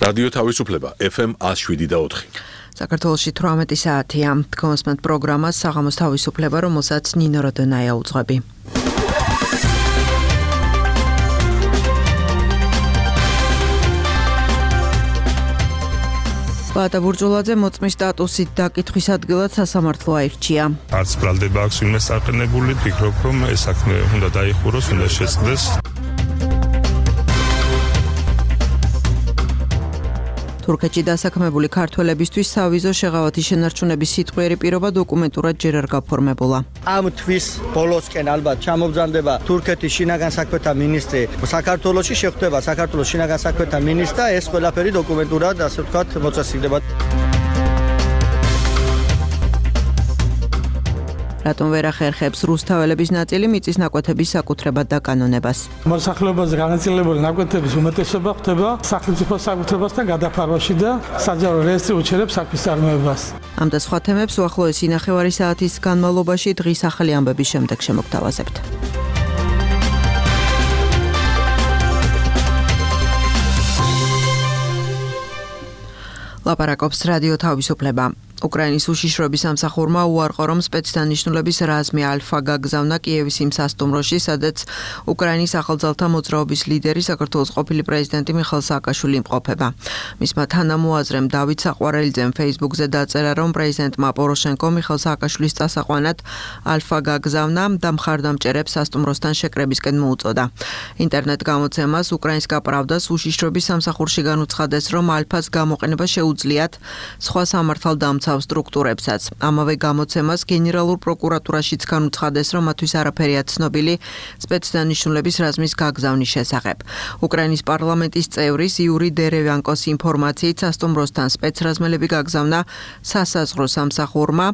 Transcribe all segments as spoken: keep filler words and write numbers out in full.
რადიო თავისუფლება ეფ ემ ათს შვიდი და ოთხი. საქართველოში თვრამეტი საათია. Თქვენს პროგრამას საღამოს თავისუფლება, რომელსაც ნინო როდონაია უძღვები. ბატა ბურჯულაძე მოწმის სტატუსით დაკითხვის ადგილად სასამართლო აირჩია. არც ბრალდება აქვს ვინმე საყენებული, ფიქრობ, რომ ეს საქმე უნდა დაიხუროს, უნდა შეწყდეს. თურქეთში დასაქმებული ქართველებისთვის სავიზო შეღავათი შენარჩუნების სიტყვიერი პირობა დოკუმენტურად ჯერ არ გაფორმებულა. ამ თვის ბოლოსკენ ალბათ ჩამობრძანდება თურქეთის შინაგან საქმეთა მინისტრი საქართველოში, შეხვდება საქართველოს შინაგან საქმეთა მინისტრს და ეს ყველაფერი დოკუმენტურად, ასე ვთქვათ, მოწესრიგდება. რატომ ვერ ახერხებს რუსთაველების ნაწილი მიწის ნაკვეთების საკუთრებად დაკანონებას? მოსახლეობაზე განაწილებული ნაკვეთების უმეტესობა ხდება სახელმწიფო საკუთრებასთან გადაფარვაში და საჯარო რეესტრი უჩერებს საქმის წარმოებას. ამ და სხვა თემებს უახლოესი ნახევარი საათის განმავლობაში დღის ახალი ამბების შემდეგ შემოგთავაზებთ. ლაპარაკობს რადიო თავისუფლება. უკრაინის უშიშროების სამსახურმა უარყო, რომ სპეცდანიშნულების რაზმი ალფა გაგზავნა კიევის იმ სასტუმროში, სადაც უკრაინის ახალძალთა მოძრაობის ლიდერი საქართველოს ყოფილი პრეზიდენტი მიხაილ სააკაშვილი იმყოფება. მისმა თანამოაზრემ დავით საყვარელიძემ ფეისბუქზე დაწერა, რომ პრეზიდენტმა პოროშენკო მიხაილ სააკაშვილის წასაყვანად ალფა გაგზავნა და მხარდამჭერებს სასტუმროსთან შეკრებისკენ მოუწოდა. ინტერნეტ გამოცემას უკრაინსკა პრავდას უშიშროების სამსახურში განუცხადეს, რომ ალფას გამოყენება შეუძლიათ სხვა სამართალდამცავ სტრუქტურებსაც. ამავე გამოცემას გენერალურ პროკურატურაშიც განუცხადეს, რომ მათთვის არაფერია ცნობილი სპეცდანიშნულების რაზმის გაგზავნის შესახებ. უკრაინის პარლამენტის წევრის იური დერევიანკოს ინფორმაციით სასტუმროსთან სპეცრაზმელები გაგზავნა სასაზღვრო სამსახურმა,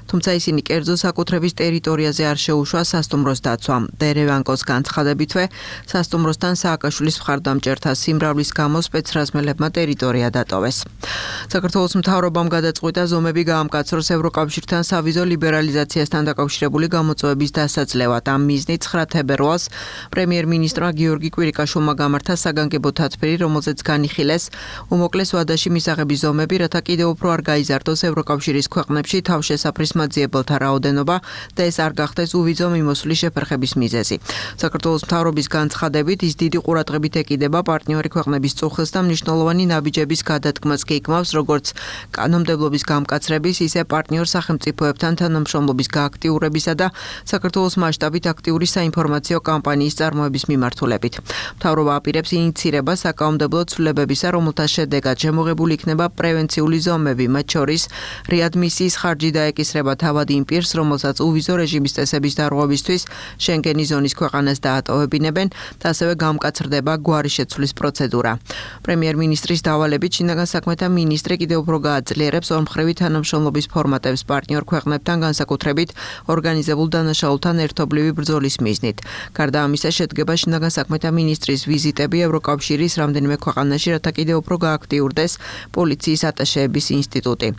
თუმცა ისინი კერძო საკუთრების ტერიტორიაზე არ შეუშვა სასტუმროს დაცვამ. დერევიანკოს განცხადებითვე სასტუმროსთან სააკაშვილის მხარდამჭერთა სიმრავლის გამო სპეცრაზმელებმა ტერიტორია დატოვეს. საქართველოს მთავრობამ გადაწყვიტა ზომები გაამკაცროს ევროკავშირთან სავიზო ლიბერალიზაციასთან დაკავშირებული გამოწვევების დასაძლევად. ამ მიზნით ცხრა თებერვალს პრემიერ-მინისტრმა გიორგი კვირიკაშვილმა გამართა საგანგებო თათბირი, რომელზეც განიხილეს უმოკლეს ვადაში მისაღების ზომები, რათა კიდევ უფრო არ გაიზარდოს ევროკავშირის ქვეყნებში თავშესაფრის მაძიებელთა რაოდენობა და ეს არ გახდეს უვიზო მიმოსვლის შეფერხების მიზეზი. საქართველოს მთავრობის განცხადებით, ის დიდი ყურადღებით ეკიდება პარტნიორი ქვეყნების წუხილს და მნიშვნელოვანი ნაბიჯების გადადგმას კი იკმავს, როგორც კანონმდებლობის გამკაცრების, ისე პარტნიორ სახელმწიფოებთან თანამშრომლობის გააქტიურებისა და საქართველოს მასშტაბით აქტიური საინფორმაციო კამპანიის წარმოების მიმართულებით. მთავრობა აპირებს ინიცირებას საკანონმდებლო ცვლილებებისა, რომელთა შედეგად შემოღებული იქნება პრევენციული ზომები, მათ შორის რეადმისიის ხარჯი დაეკისრება თავად იმ პირს, რომელსაც უვიზო რეჟიმის წესების დარღვევისთვის შენგენის ზონის ქვეყანას დაატოვებინებენ და ასევე გამკაცრდება გვარი შეცვლის პროცედურა. პრემიერ-მინისტრის დავალებით შინაგან საქმეთა მინისტრი კიდევ უფრო გააძლიერებს ორმხრივი თანამშრომლობის ფორმატებს პარტნიორ ქვეყნებთან, განსაკუთრებით ორგანიზებულ დანაშაულთან ერთობლივი ბრძოლის მიზნით. გარდა ამისა, შედგება შინაგან საქმეთა მინისტრის ვიზიტები ევროკავშირის რამდენიმე ქვეყანაში, რათა კიდევ უფრო გააქტიურდეს პოლიციის ატაშეების ინსტიტუტი.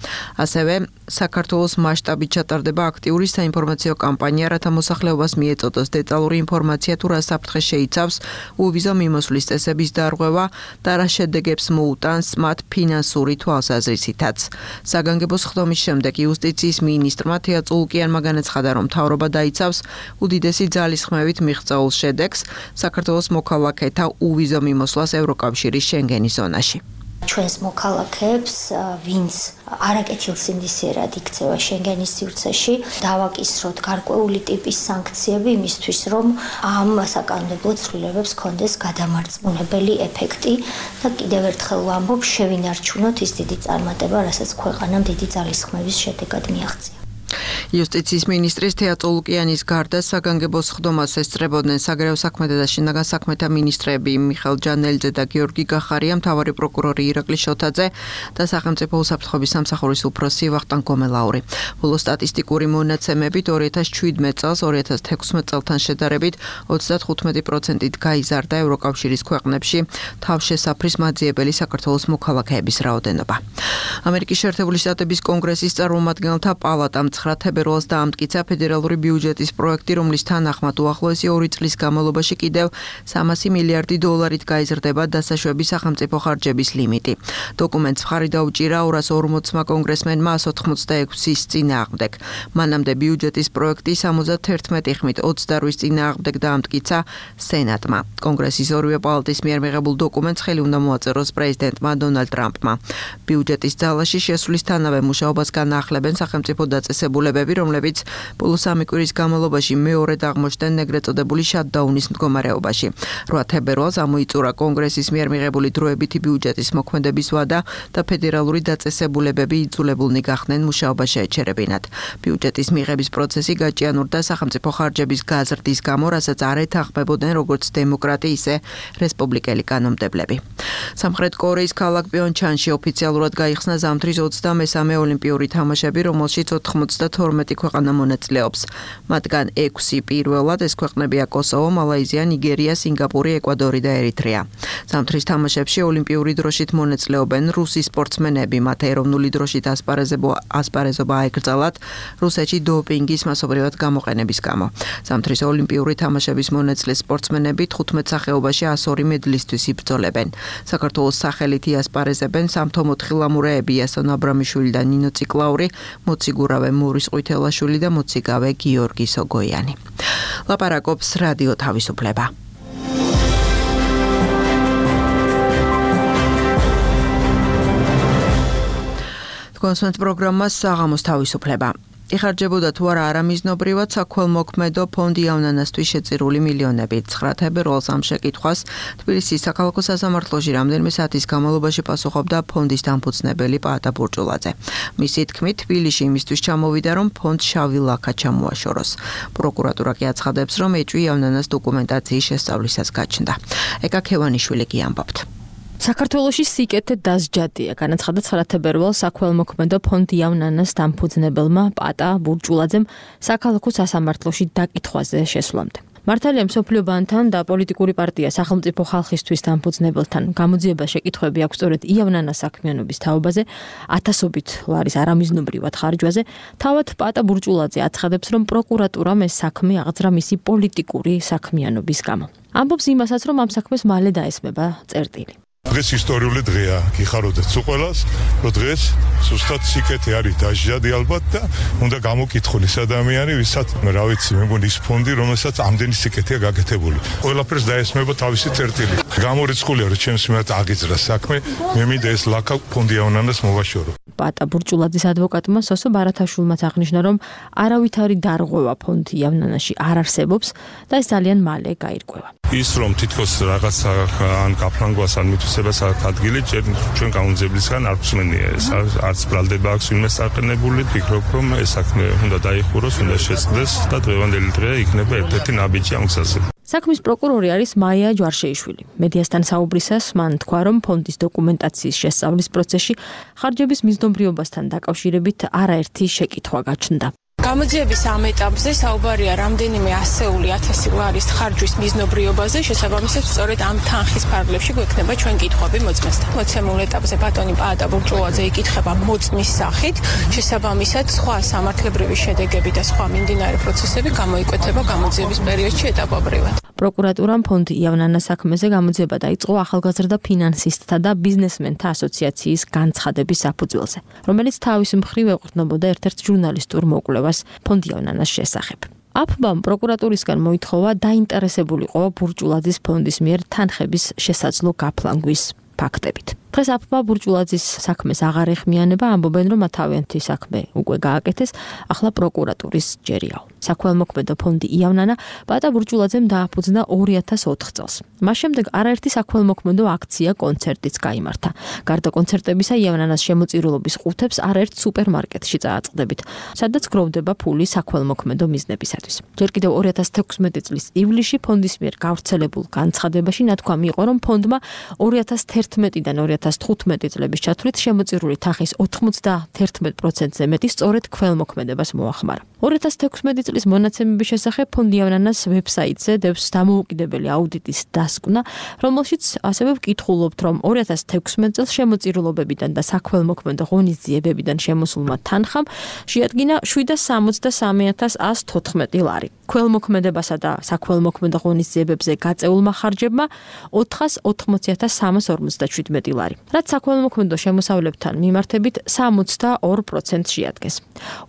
ასევე საქართველოს მასშტაბით ჩატარდება აქტიური საინფორმაციო კამპანია, რათა მოსახლეობას მიეწოდოს დეტალური ინფორმაცია თუ რა საფრთხე შეიცავს უვიზო მიმოსვლის წესების დარღვევა და რა შედეგებს მოუტანს მათ ფინანსური თვალსაზრისითაც. საგანგებო სხდომის შემდეგ იუსტიციის მინისტრმა თეა წულუკიანმა განაცხადა, რომ მთავრობა დაიცავს უდიდესი ძალისხმევით მიღწეულ შედეგს საქართველოს მოქალაქეთა უვიზო მიმოსვლას ევროკავშირის შენგენის ზონაში. ჩვენს მოქალაქეებს, ვინც არაკეთილსინდისიერად იქცევა შენგენის სივრცეში, დავაკისროთ გარკვეული ტიპის სანქციები იმისთვის, რომ ამ საკანონმდებლო ცვლილებებს ჰქონდეს გადამარწმუნებელი ეფექტი და კიდევ ერთხელ ვამბობ, შევინარჩუნოთ ის დიდი წარმატება, რასაც ქვეყანამ დიდი ძალისხმევის შედეგად მიაღწია. იუსტიციის მინისტრის თეა წულუკიანის გარდა საგანგებო სხდომას ესწრებოდნენ საგარეო საქმეთა და შინაგან საქმეთა მინისტრები მიხეილ ჯანელიძე და გიორგი გახარია, მთავარი პროკურორი ირაკლი შოთაძე და სახელმწიფო უსაფრთხოების სამსახურის უფროსი ვახტანგ გომელაური. ბოლო სტატისტიკური მონაცემებით ორი ათას შვიდმეტ წელს ორი ათას თექვსმეტ წელთან შედარებით ოცდათხუთმეტი პროცენტით გაიზარდა ევროკავშირის ქვეყნებში თავშესაფრის მაძიებელი საქართველოს მოქალაქეების რაოდენობა. ამერიკის შეერთებული შტატების კონგრესის წარმომადგენელთა პალატამ ცხრა თებერვალს თებერვალს დაამტკიცა ფედერალური ბიუჯეტის პროექტი, რომლის თანახმად უახლოესი ორი წლის განმავლობაში კიდევ სამასი მილიარდი დოლარით გაიზრდება დასაშვები სახელმწიფო ხარჯების ლიმიტი. დოკუმენტს მხარი დაუჭირა ორას ორმოცმა კონგრესმენმა ას ოთხმოცდაექვსის წინააღმდეგ. მანამდე ბიუჯეტის პროექტი სამოცდაერთმეტი ხმით ოცდარვის წინააღმდეგ დაამტკიცა სენატმა. კონგრესის ორივე პალატის მიერ მიღებულ დოკუმენტს ხელი უნდა მოაწეროს პრეზიდენტმა დონალდ ტრამპმა. ბიუჯეტის ძალაში შესვლისთანავე მუშაობას განაახლებენ სახელმწიფო დაწესებულებები, რომლებიც ბოლო სამი კვირის განმავლობაში მეორედ აღმოჩნდნენ ეგრეთ წოდებული შატდაუნის მდგომარეობაში. რვა თებერვალს ამოიწურა კონგრესის მიერ მიღებული დროებითი ბიუჯეტის მოქმედების ვადა და ფედერალური დაწესებულებები იძულებულნი გახდნენ მუშაობა შეეჩერებინათ. ბიუჯეტის მიღების პროცესი გაჭიანურდა სახელმწიფო ხარჯების გაზრდის გამო, რასაც არ ეთანხმებოდნენ როგორც დემოკრატი, ისე რესპუბლიკელი კანონმდებლები. სამხრეთ კორეის ქალაქ პიონჩანში ოფიციალურად გაიხსნა ზამთრის ოცდამესამე ოლიმპიური თამაშები, რომელშიც ოთხმოცდათორმეტი ქვეყანა მონაწილეობს. მათგან ექვსი პირველად, ეს ქვეყნებია კოსოვო, მალაიზია, ნიგერია, სინგაპური, ეკვადორი და ერიტრეა. ზამთრის თამაშებში ოლიმპიური დროშით მონაწილეობენ რუსი სპორტსმენები, მათ ეროვნული დროშით ასპარეზობა აეკრძალათ რუსეთში დოპინგის მასობრივად გამოყენების გამო. ზამთრის ოლიმპიური თამაშების მონაწილე სპორტსმენები თხუთმეტ სახეობაში ას ორი მედლისთვის იბრძოლებენ. საქართველოს სახელით იასპარეზებენ სამთო მოთხილამურეები იასონ აბრამიშვილი და ნინო ციკლაური, მოციგურავე მორის ყვითელაშვილი და მოციგავე გიორგი სოგოიანი. ლაპარაკობს რადიო თავისუფლება. კონსულტ პროგრამას საღამოს თავისუფლება. იხარჯებოდა თუ არა არამიზნობრივად საქველმოქმედო ფონდი იავნანასთვის შეწირული მილიონები. ცხრა თებერვალს ამ შეკითხვას თბილისის საქალაქო სასამართლოში რამდენიმე საათის განმავლობაში პასუხობდა ფონდის დამფუძნებელი პაატა ბურჭულაძე. მისი თქმით, თბილისში იმისთვის ჩამოვიდა, რომ ფონდს შავი ლაქა ჩამოაშოროს. პროკურატურა კი აცხადებს, რომ ეჭვი იავნანას დოკუმენტაციის შესწავლისას გაჩნდა. ეკა ქევანიშვილი კი ამბობთ. საქართველოში სიკეთე დასჯადია, განაცხადა ცხრა თებერვალს საქველმოქმედო ფონდი იავნანას დამფუძნებელმა პაატა ბურჭულაძემ საქალაქო სასამართლოში დაკითხვაზე შესვლამდე. მართალია მსოფლიო ბანკთან და პოლიტიკური პარტია სახელმწიფო ხალხისთვის დამფუძნებელთან გამოძიება შეკითხვები აქვს სწორედ იავნანას საქმიანობის თაობაზე, ათასობით ლარის არამიზნობრივად ხარჯვაზე. თავად პაატა ბურჭულაძე აცხადებს, რომ პროკურატურამ ეს საქმე აღძრა მისი პოლიტიკური საქმიანობის გამო. ამბობს იმასაც, რომ ამ საქმეს მალე დაესმება წერტილი. დღეს ისტორიული დღეა, გიხაროთ თუ ყველას, რომ დღეს ზუსტად სიკეთე არის დასჯადი ალბათ და უნდა გამოკითხული ეს ადამიანი, ვისაც რა ვიცი, მე მგონი ის ფონდი, რომელსაც ამდენი სიკეთეა გაკეთებული. ყველაფერს დაესმება თავისი წერტილი. გამორიცხულია, რომ ჩემს მიმართ აგიძრა საქმე, მე მინდა ეს ლაქა ფონდი იავნანას მოვაშორო. პაატა ბურჭულაძის ადვოკატმა სოსო ბარათაშვილმაც აღნიშნა, რომ არავითარი დარღვევა ფონდი იავნანაში არ არსებობს და ეს ძალიან მალე გაირკვევა. ის რომ თითქოს რაღაც ან გაფრანგვას ან მითვისებას აქვს ადგილი, ჩვენ გამოძიებლისგან არ გვსმენია ეს, არც ბრალდება აქვს ვინმე საყენებული, ფიქრობ, რომ ეს საქმე უნდა დაიხუროს, უნდა შეწყდეს და დღევანდელი დღე იქნება ერთ-ერთი ნაბიჯი ამ გზაზე. საქმის პროკურორი არის მაია ჯვარშეიშვილი. მედიასთან საუბრისას მან თქვა, რომ ფონდის დოკუმენტაციის შესწავლის პროცესში ხარჯების მიზნობრიობასთან დაკავშირებით არაერთი შეკითხვა გაჩნდა. გამოძიების ამ ეტაპზე საუბარია რამდენიმე ასეული ათასი ლარის ხარჯვის მიზნობრიობაზე, შესაბამისად სწორედ ამ თანხის ფარგლებში გვექნება ჩვენ კითხვები მოწმესთან. მოცემულ ეტაპზე ბატონი პაატა ბურჭულაძე იკითხება მოწმის სახით, შესაბამისად სხვა სამართლებრივი შედეგები და სხვა მიმდინარე პროცესები გამოიკვეთება გამოძიების პერიოდში ეტაპობრივად. პროკურატურამ ფონდი იავნანას საქმეზე გამოძიება დაიწყო ახალგაზრდა ფინანსისტთა და ბიზნესმენთა ასოციაციის განცხადების საფუძველზე, რომელიც თავის მხრივ ეყრდნობოდა ერთ-ერთ ჟურნალისტურ მოკვლევას ფონდი იავნანას შესახებ. აფბამ პროკურატურისგან მოითხოვა დაინტერესებულიყო ბურჭულაძის ფონდის მიერ თანხების შესაძლო გაფლანგვის ფაქტებით. დღეს აფბა ბურჭულაძის საქმეს აღარ ეხმიანება, ამბობენ, რომ თავიანთი საქმე უკვე გააკეთეს, ახლა პროკურატურის ჯერიაო. საქველმოქმედო ფონდი იავნანა პაატა ბურჭულაძემ დააფუძნა ორი ათას ოთხ წელს. მას შემდეგ არაერთი საქველმოქმედო აქცია, კონცერტიც გაიმართა. გარდა კონცერტებისა, იავნანას შემოწირულობის ყუთებს არაერთ სუპერმარკეტში წააწყდებით, სადაც გროვდება ფული საქველმოქმედო მიზნებისათვის. ჯერ კიდევ ორი ათას თექვსმეტი წლის ივლისში ფონდის მიერ გავრცელებულ განცხადებაში ნათქვამი იყო, რომ ფონდმა ორი ათას თერთმეტიდან ორი ორი ათას თხუთმეტი წლების ჩათვლით შემოწირული თანხის ოთხმოცდაერთმეტ პროცენტზე მეტი სწორედ ქველმოქმედებას მოახმარა. ორი ათას თექვსმეტი წლის მონაცემების შესახებ ფონდი იავნანას ვებსაიტზე დევს დამოუკიდებელი აუდიტის დასკვნა, რომელშიც ასევე ვკითხულობთ, რომ ორი ათას თექვსმეტ წელს შემოწირულობებიდან და საქველმოქმედო ღონისძიებებიდან შემოსულმა თანხამ შეადგინა შვიდ სამოცდა სამი ათას ას თოთხმეტი ლარი. ქველმოქმედებასა და საქველმოქმედო ღონისძიებებზე გაწეულმა ხარჯებმა ოთხას ოთხმოცი ათას სამას ორმოცდაშვიდმეტი ლარი, რაც საქველმოქმედო შემოსავლებთან მიმართებით სამოცდა ორ პროცენტს შეადგენს.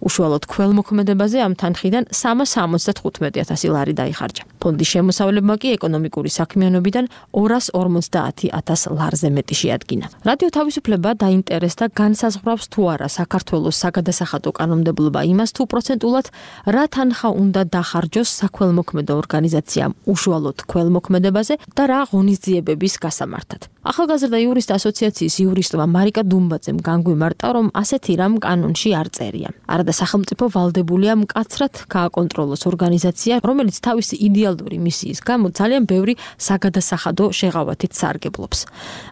უშუალოდ ქველმოქმედებაზე ამ თანხიდან სამას სამოცდათხუთმეტი ათასი ლარი დაიხარჯა. ფონდის შემოსავლებმა კი ეკონომიკური საქმიანობიდან ორას ორმოცდაათი ათას ლარზე მეტი შეადგინა. რადიო თავისუფლება დაინტერესდა განსაზღვრავს თუ არა საქართველოს საგადასახადო კანონმდებლობა იმას თუ პროცენტულად რა თანხა უნდა დახარჯოს საქველმოქმედო ორგანიზაციამ უშუალოდ ქველმოქმედებაზე და რა ღონისძიებების გასამართად. ახალგაზრდა იურისტ ასოციაციის იურისტმა მარიკა დუმბაძემ განგვიმარტა, რომ ასეთი რამ კანონში არ წერია. არადა სახელმწიფო ვალდებულია მკაცრად გააკონტროლოს ორგანიზაცია, რომელიც თავისი იდეალური მისიის გამო ძალიან ბევრი საგადასახადო შეღავათით სარგებლობს.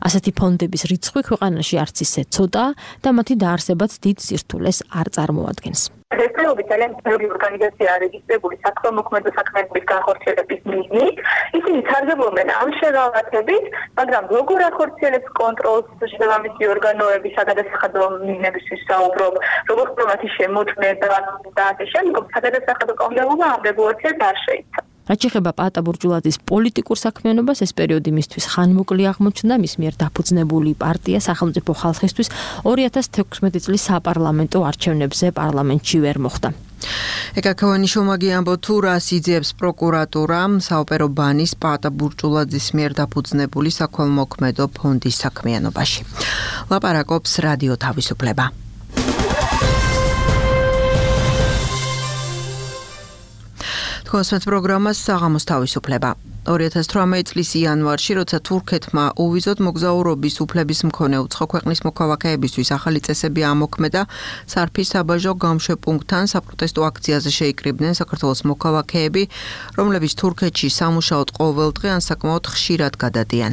ასეთი ფონდების რიცხვი ქვეყანაში არც ისე ცოტაა და მათი დაარსებაც დიდ სირთულეს არ წარმოადგენს. დღესდღეობით ძალიან ბევრი ორგანიზაცია რეგისტრირებული საქველმოქმედო საქმიანობის განხორციელების მიზნით. ისინი სარგებლობენ ამ შეღავათებით, მაგრამ როგორ ახორციელებს კონტროლს შესაბამისი ორგანოების საგადასახადო მიზნებისთვის საუბრობ, როგორ ხდება მათი შემოწმება და ასე შემდგომ საგადასახადო კანონმდებლობა ამ რეგულაციას არ შეიცავს. რაც შეეხება პაატა ბურჯულაძის პოლიტიკურ საქმიანობას, ეს პერიოდი მისთვის ხანმოკლე აღმოჩნდა. მის მიერ დაფუძნებული პარტია სახელმწიფო ხალხისთვის ორი ათას თექვსმეტი წლის საპარლამენტო არჩევნებზე პარლამენტში ვერ მოხვდა. ეკა ქოვანიშოვმა ამბო თუ რას იძიებს პროკურატურა საოპერო ბანის პაატა ბურჯულაძის მიერ დაფუძნებული საქველმოქმედო ფონდის საქმიანობაში. ლაპარაკობს რადიო თავისუფლება. კონსპექტ პროგრამას საღამოს თავისუფლება. ორი ათას თვრამეტი წლის იანვარში, როცა თურქეთმა უვიზოდ მოგზაურობის უფლების მქონე უცხო ქვეყნის მოქალაქეებისთვის ახალი წესები ამოქმედა, სარფის საბაჟო გამშვეპუნქტთან საპროტესტო აქციაზე შეიკრიბნენ საქართველოს მოქალაქეები, რომლებიც თურქეთში სამუშაოდ ყოველდღე ან საკმაოდ ხშირად გადადიან.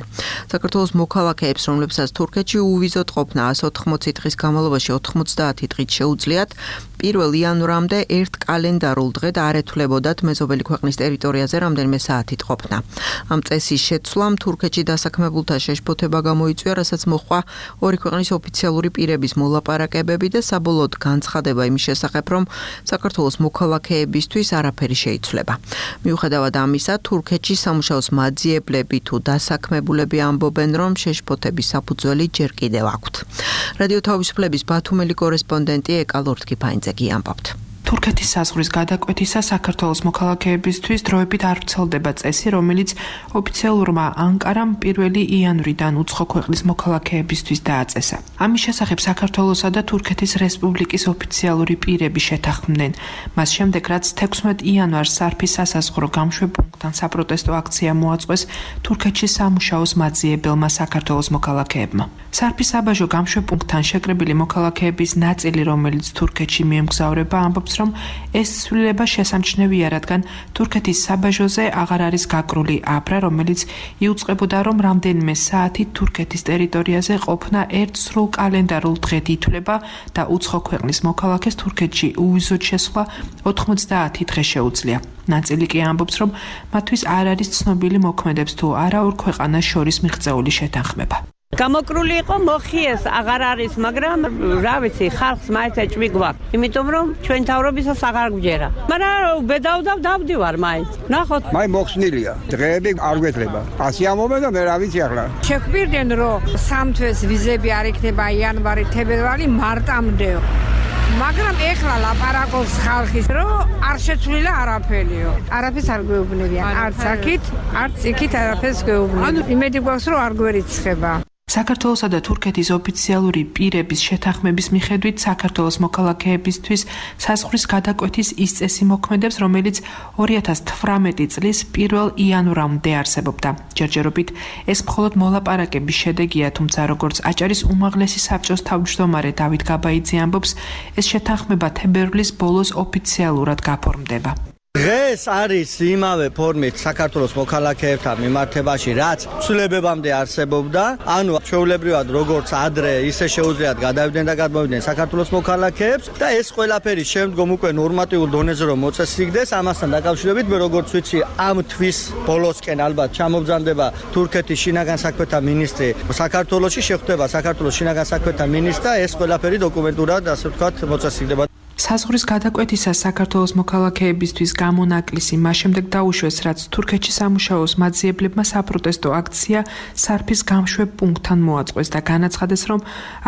საქართველოს მოქალაქეებს, რომლებსაც თურქეთში უვიზოდ ყოფნა ასი ოთხმოცი დღის განმავლობაში ოთხმოცდაათი დღით შეუძლიათ, პირველ იანვრამდე ერთ კალენდარულ დღედ არ ეთვლებოდათ მეზობელი ქვეყნის ტერიტორიაზე რამდენიმე საათით ყოფნა. ამ წესის შეცვლამ თურქეთში დასაქმებულთა შეშფოთება გამოიწვია, რასაც მოჰყვა ორი ქვეყნის ოფიციალური პირების მოლაპარაკებები და საბოლოოდ განცხადება იმის შესახებ, რომ საქართველოს მოქალაქეებისთვის არაფერი შეიცვლება. მიუხედავად ამისა, თურქეთში სამუშაოს მაძიებლები თუ დასაქმებულები ამბობენ, რომ შეშფოთების საფუძველი ჯერ კიდევ აქვთ. რადიო თავისუფლების ბათუმელი კორესპონდენტი ეკა ლორთქიფაინძე გიამბობთ. თურქეთის საზღვრის გადაკვეთისა საქართველოს მოქალაქეებისთვის დროებით არ ვრცელდება წესი, რომელიც ოფიციალურმა ანკარამ პირველი იანვრიდან უცხო ქვეყნის მოქალაქეებისთვის დააწესა. ამის შესახებ საქართველოსა და თურქეთის რესპუბლიკის ოფიციალური პირები შეთანხმდნენ. მას შემდეგ, რაც თექვსმეტ იანვარს სარფის სასაზღვრო გამშვეპუნქტთან საპროტესტო აქცია მოაწყვეს თურქეთში სამუშაოს მაძიებელმა საქართველოს მოქალაქეებმა. სარფის საბაჟო გამშვეპუნქტთან შეკრებილი მოქალაქეების ნაწილი, რომელიც თურქეთში მიემგზავრება, ამბობს, რომ ეს ცვლილება შესამჩნევია, რადგან თურქეთის საბაჟოზე აღარ არის გაკრული აბრა, რომელიც იუწყებოდა, რომ რამდენიმე საათი თურქეთის ტერიტორიაზე ყოფნა ერთ სრულ კალენდარულ დღედ ითვლება და უცხო ქვეყნის მოქალაქეს თურქეთში უვიზოდ შესვლა ოთხმოცდაათი დღე შეუძლია. ნაწილი კი ამბობს, რომ მათთვის არ არის ცნობილი მოქმედებს თუ არა ორ ქვეყანას შორის მიღწეული შეთანხმება. გამოკრული იყო მოხიეს აღარ არის, მაგრამ რა ვიცი, ხალხს მაინც ეჭვი გვაქვს, იმიტომ რომ ჩვენ თავრობისას აღარ გვჯერა. მაგრამ ბედავდავ დავდივარ მაინც. ნახოთ, მაი მოხსნილია. დღეები არ გვეთლება. ასი ამობენ და მე რა ვიცი ახლა. შეგვირდნენ რომ სამ თვეს ვიზები არ იქნება იანვარი, თებერვალი, მარტამდე. მაგრამ ეხლა ლაპარაკობს ხალხის, რომ არ შეცვლილა არაფერიო. არაფერს არ გვეუბნებიან, არც აქით, არც იქით არაფერს გვეუბნებიან. იმედი გვაქვს, რომ არ გვერიცხება. საქართველოსა და თურქეთის ოფიციალური პირების შეთანხმების მიხედვით საქართველოს მოქალაქეებისთვის საზღვრის გადაკვეთის ის წესი მოქმედებს, რომელიც ორი ათას თვრამეტი წლის პირველ იანვრამდე არსებობდა. ჯერჯერობით ეს მხოლოდ მოლაპარაკების შედეგია, თუმცა როგორც აჭარის უმაღლესი საბჭოს თავმჯდომარე დავით გაბაიძე ამბობს, ეს შეთანხმება თებერვლის ბოლოს ოფიციალურად გაფორმდება. დღეს არის იმავე ფორმით საქართველოს მოქალაქეებთან მიმართებაში, რაც ცვლილებებამდე არსებობდა, ანუ ჩვეულებრივად როგორც ადრე, ისე შეუძლიათ გადავიდნენ და გადმოვიდნენ საქართველოს მოქალაქეებს და ეს ყველაფერი შემდგომ უკვე ნორმატიულ დონეზე რომ მოწესრიგდეს, ამასთან დაკავშირებით მე როგორც ვიცი, ამ თვის ბოლოსკენ ალბათ ჩამობრძანდება თურქეთის შინაგან საქმეთა მინისტრი საქართველოში, შეხვდება საქართველოს შინაგან საქმეთა მინისტრს და ეს ყველაფერი დოკუმენტურად, ასე ვთქვათ, მოწესრიგდება. საზღვრის გადაკვეთისას საქართველოს მოქალაქეებისთვის გამონაკლისი მას შემდეგ დაუშვეს, რაც თურქეთში სამუშაოს მაძიებლებმა საპროტესტო აქცია სარფის გამშვებ პუნქტთან მოაწყვეს და განაცხადეს, რომ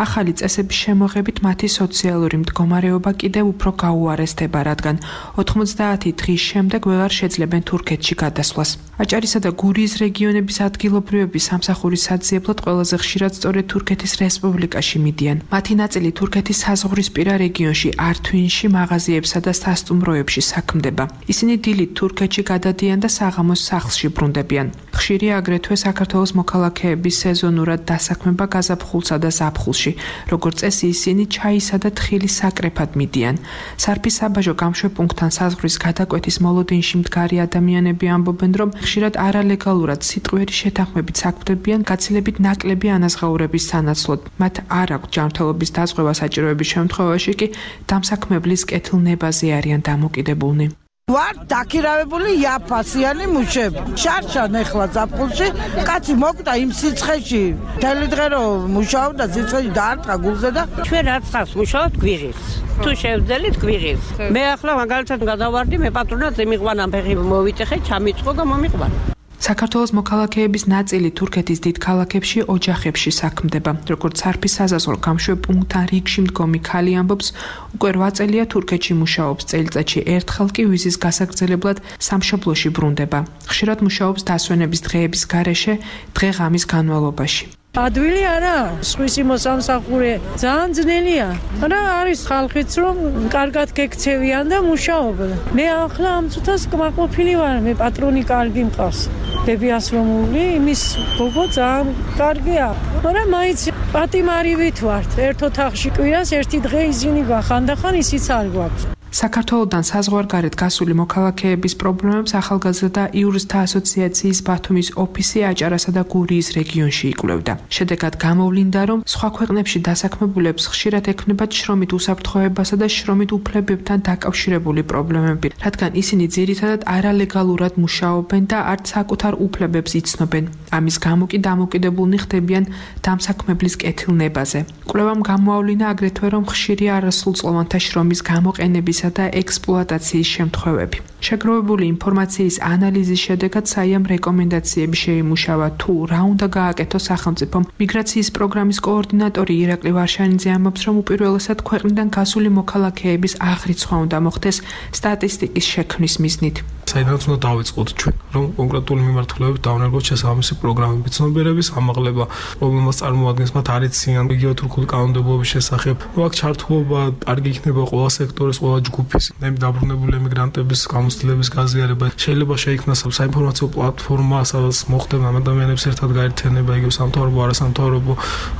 ახალი წესების შემოღებით მათი სოციალური მდგომარეობა კიდევ უფრო გაუარესდება, რადგან ოთხმოცდაათი დღის შემდეგ ვეღარ შეძლებენ თურქეთში გადასვლას. აჭარისა და გურიის რეგიონების ადგილობრივების სამსახურის საძიებლად ყველაზე ხშირად სწორედ თურქეთის რესპუბლიკაში მიდიან. მათი ნაწილი თურქეთის საზღვრისპირა რეგიონში ართვინში, მაღაზიებსა და სასტუმროებში საქმდება. ისინი დილით თურქეთში გადადიან და საღამოს სახლში ბრუნდებიან. ხშირია აგრეთვე საქართველოს მოქალაქეების სეზონურად დასაქმება გაზაფხულსა და ზაფხულში. როგორც წესი, ისინი ჩაისა და თხილის საკრეფად მიდიან. სარფის საბაჟო გამშვებ პუნქტთან საზღვრის გადაკვეთის მოლოდინში მდგარი ადამიანები ამბობენ, რომ ხშირად არალეგალურად სიტყვიერი შეთანხმებით საქმდებიან გაცილებით ნაკლები ანაზღაურების სანაცვლოდ. მათ არ აქვს ჯანმრთელობის დაზღვევა საჭიროების შემთხვევაში კი დამსაქმებლის კეთილნებაზე არიან დამოკიდებულნი. ვარ დაქირავებული იაფასიანი მუშები. შარშან ეხლა ზაფხულში კაცი მოკდა იმ სიცხეში. მთელი დღე რომ მუშაობდა სიცხეში დაარტყა გულზე და ჩვენ რაც ხავს მუშაობთ გვიღის. თუ შევძელით გვიღის. მე ახლა მაგალითად გადავარდი, მე პატრონად ზემიყვანა ფეხი მოვიტეხე, ჩამიწყო და მომიყვანა. საქართველოს მოქალაქეების ნაწილი თურქეთის დიდ ქალაქებში ოჯახებში საქმდება. როგორც სარფის საზაზღვრო გამშვებ პუნქტთან რიგში მდგომი ქალი ამბობს, უკვე რვა წელია თურქეთში მუშაობს, წელიწადში ერთხელ კი ვიზის გასაგრძელებლად სამშობლოში ბრუნდება. ხშირად მუშაობს დასვენების დღეების გარეშე, დღე-ღამის განმავლობაში. ადვილი არა, სხვისი მოსამსახურე ძალიან ძნელია. რა არის ხალხიც რომ კარგად გექცევიან და მუშაობენ. მე ახლა ამ წუთას კმაყოფილი ვარ, მე პატრონი კარგი მყავს. ბებიასრომული, იმის გოგო ძალიან კარგია. მაგრამ მაინც პატიმარივით ვართ. ერთ ოთახში კვირას ერთი დღე ისინი გვახანდახან, ისიც არ გვაქვს. საქართველოდან საზღვარგარეთ გასული მოქალაქეების პრობლემებს ახალგაზრდა იურისტთა ასოციაციის ბათუმის ოფისი აჭარასა და გურიის რეგიონში იკვლევდა. შედეგად გამოვლინდა, რომ სხვა ქვეყნებში დასაქმებულებს ხშირად ექნებათ შრომით უსაფრთხოებასა და შრომით უფლებებთან დაკავშირებული პრობლემები, რადგან ისინი ძირითადად არალეგალურად მუშაობენ და არც საკუთარ უფლებებს იცნობენ. ამის გამო კი დამოკიდებულნი ხდებიან დამსაქმებლის კეთილნებაზე. კვლევამ გამოავლინა აგრეთვე, რომ ხშირია არასრულწლოვანთა შრომის გამოყენების და ექსპლუატაციის შემთხვევები. შეგროვებული ინფორმაციის ანალიზის შედეგად საიამ რეკომენდაციები შეიმუშავა, თუ რა უნდა გააკეთოს სახელმწიფომ. მიგრაციის პროგრამის კოორდინატორი ირაკლი ვარშანიძე ამბობს, რომ უპირველესად ქვეყნიდან გასული მოქალაქეების აღრიცხვა უნდა მოხდეს სტატისტიკის შექმნის მიზნით. საიდანაც უნდა დავიწყოთ ჩვენ, რომ კონკრეტული მიმართულებით დავნერგოთ შესაბამისი პროგრამები, ცნობიერების ამაღლება, პრობლემას წარმოადგენს მათ არ იციან იგივე თურქული კანონმდებლობის შესახებ. ნუ აქ ჩართულობა კარგი იქნება ყველა სექტორის, ყველა ჯგუფის, დაბრუნებული ემიგრანტების გამოცდილების გაზიარება. შეიძლება შეიქმნას საინფორმაციო პლატფორმა, სადაც მოხდება ამ ადამიანებს ერთად გაერთიანება, იგივე სამთავრობო, არასამთავრობო,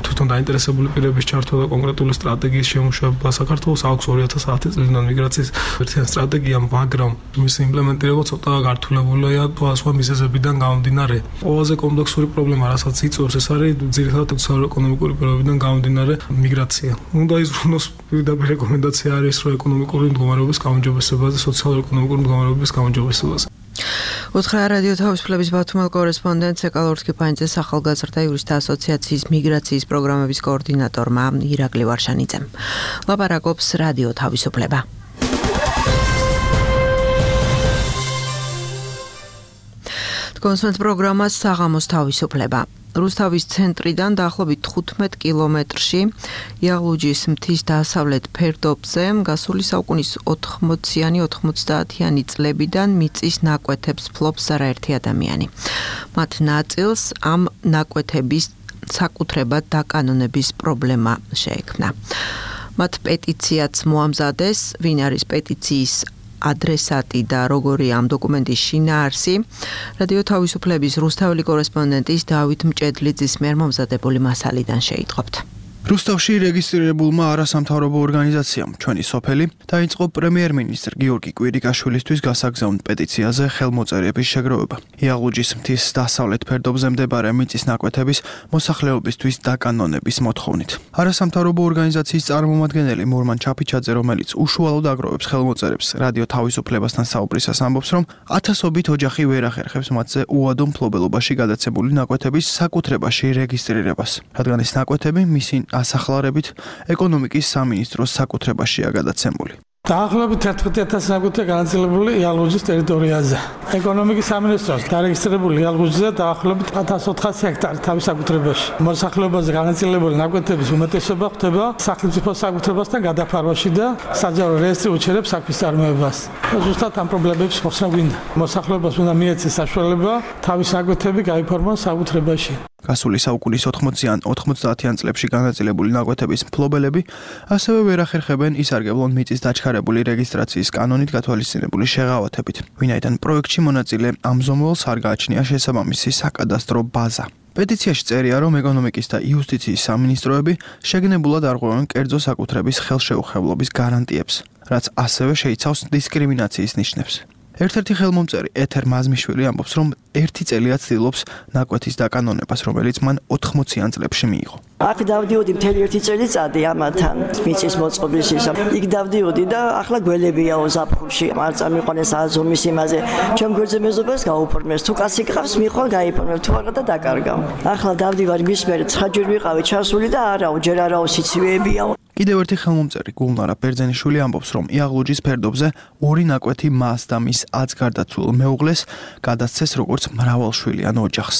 თვითონ დაინტერესებული პირების ჩართვა და კონკრეტული სტრატეგიის შემუშავება. საქართველოს აქვს ორი ათას ათი წლიდან მიგრაციის ერთიანი სტრატეგია, მაგრამ მისი იმპლემენტირება ცოტა გართულებულია სხვა მიზეზებიდან გამომდინარე. ყველაზე კომპლექსური პრობლემა, რასაც იწვევს, ეს არის ძირითადად სოციალურ-ეკონომიკური პირობებიდან გამომდინარე მიგრაცია. უნდა იზრუნოს პირდაპირ რეკომენდაცია არის, რომ ეკონომიკური მდგომარეობის გაუმჯობესებას და სოციალურ-ეკონომიკური მდგომარეობის გაუმჯობესებას. უთხრა რადიო თავისუფლების ბათუმელ კორესპონდენტს ეკალორთ კიფანიძეს ახალგაზრდა იურისტთა ასოციაციის მიგრაციის პროგრამების კოორდინატორმა ირაკლი ვარშანიძემ. ლაპარაკობს რადიო თავისუფლება. კონსვენტ პროგრამას საღამოს თავისუფლება. რუსთავის ცენტრიდან დაახლოებით თხუთმეტ კილომეტრში იაღლუჯის მთის დასავლეთ ფერდობზე გასული საუკუნის ოთხმოციანი ოთხმოცდაათიანი წლებიდან მიწის ნაკვეთებს ფლობს არაერთი ადამიანი. მათ ნაწილს ამ ნაკვეთების საკუთრებად დაკანონების პრობლემა შეექმნა. მათ პეტიციაც მოამზადეს, ვინ არის პეტიციის ადრესატი და როგორია ამ დოკუმენტის შინაარსი. რადიო თავისუფლების რუსთაველი კორესპონდენტის დავით მჭედლიძის მიერ მომზადებული მასალიდან შეიტყობთ. რუსთავში რეგისტრირებულმა არასამთავრობო ორგანიზაციამ ჩვენი სოფელი დაიწყო პრემიერ-მინისტრ გიორგი კვირიკაშვილისთვის გასაგზავნ პეტიციაზე ხელმოწერების შეგროვება. იაღლუჯის მთის დასავლეთ ფერდობზე მდებარე მიწის ნაკვეთების მოსახლეობისთვის დაკანონების მოთხოვნით. არასამთავრობო ორგანიზაციის წარმომადგენელი მორმან ჩაფიჩაძე, რომელიც უშუალოდ აგროვებს ხელმოწერებს, რადიო თავისუფლებასთან საუბრისას ამბობს, რომ ათასობით ოჯახი ვერ ახერხებს მათზე უადო მფლობელობაში გადაცემული ნაკვეთების საკუთრებაში რეგისტრირებას, რადგან ეს ნაკვეთები მისი ასახლარებით ეკონომიკის სამინისტროს საკუთრებაშია გადაცემული. დაახლოებით ერთმეტი ათასი ნაკვეთი განაწილებული იალღუჯის ტერიტორიაზე. ეკონომიკის სამინისტროს დარეგისტრირებული იალღუჯზე დაახლოებით ათას ოთხასი ჰექტარი თავის საკუთრებაში. მოსახლეობაზე განაწილებული ნაკვეთების უმეტესობა ხდება სახელმწიფო საკუთრებასთან გადაფარვაში და საჯარო რეესტრი უჩერებს საქმის წარმოებას. ზუსტად ამ პრობლემებს მოხსნა გვინდა. მოსახლეობას უნდა მიეცეს საშუალება თავის ნაკვეთები გაიფორმოს საკუთრებაში. გასული საუკუნის ოთხმოციან ოთხმოცდაათიან წლებში განაწილებული ნაკვეთების მფლობელები ასევე ვერ ახერხებენ ისარგებლონ მიწის დაჩქარებული რეგისტრაციის კანონით გათვალისწინებული შეღავათებით, ვინაიდან პროექტში მონაწილე ამზომველს არ გააჩნია შესაბამისი საკადასტრო ბაზა. პეტიციაში წერია, რომ ეკონომიკის და იუსტიციის სამინისტროები შეგნებულად არღვევენ კერძო საკუთრების ხელშეუხებლობის გარანტიებს, რაც ასევე შეიცავს დისკრიმინაციის ნიშნებს. ერთ-ერთი ხელმომწერი ეთერ მაზმიშვილი ამბობს, რომ ერთი წელია ცდილობს ნაკვეთის დაკანონებას, რომელიც მან ოთხმოციან წლებში მიიღო. აქ დავდიოდი მთელი ერთი წელიწადი ამათან მიწის მოწყობის ისა. იქ დავდიოდი და ახლა გველებიაო ზაფხულში. არ წამიყვანეს აზომის იმაზე. ჩემ გვერდზე მეზობას გაუფორმეს. თუ კაცი გყავს, მიხვალ გაიფორმებ, თუ არა და დაკარგავ. ახლა დავდივარ მის მერე ცხრაჯერ ვიყავი ჩასული და არაო, ჯერ არაო სიცივეებიაო. კიდევ ერთი ხელმომწერი გულნარა ბერძენიშვილი ამბობს, რომ იაღლუჯის ფერდობზე ორი ნაკვეთი მას და მის ათს გარდაცულ მეუღლეს გადასცეს როგორც მრავალშვილიან ოჯახს.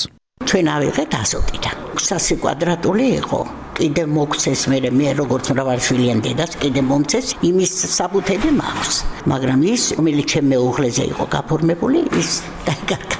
ჩვენ ავიღეთ ასოტიდან. ექვსასი კვადრატული იყო. კიდე მოგცეს მე მე როგორც მრავალშვილიან დედას კიდე მომცეს იმის საბუთები მაქვს. მაგრამ ის რომელიც ჩემ მეუღლეზე იყო გაფორმებული, ის დაიკარგა.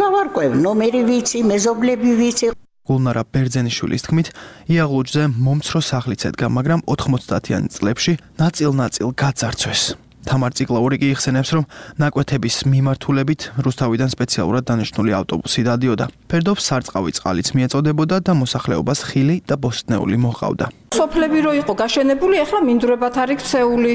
გავარკვევ ნომერი ვიცი, მეზობლები ვიცი. გულნარა ბერძენიშვილის თქმით, იაღლუჯზე მომცრო სახლიც ედგა, მაგრამ ოთხმოცდაათიან წლებში ნაწილ-ნაწილ გაძარცვეს. თამარ ციკლაური კი იხსენებს, რომ ნაკვეთების მიმართულებით რუსთავიდან სპეციალურად დანიშნული ავტობუსი დადიოდა. ფერდობს სარწყავი წყალიც მიეწოდებოდა და მოსახლეობას ხილი და ბოსტნეული მოჰყავდა. სოფლები რო იყო გაშენებული, ახლა მინდვრებად არის ქცეული.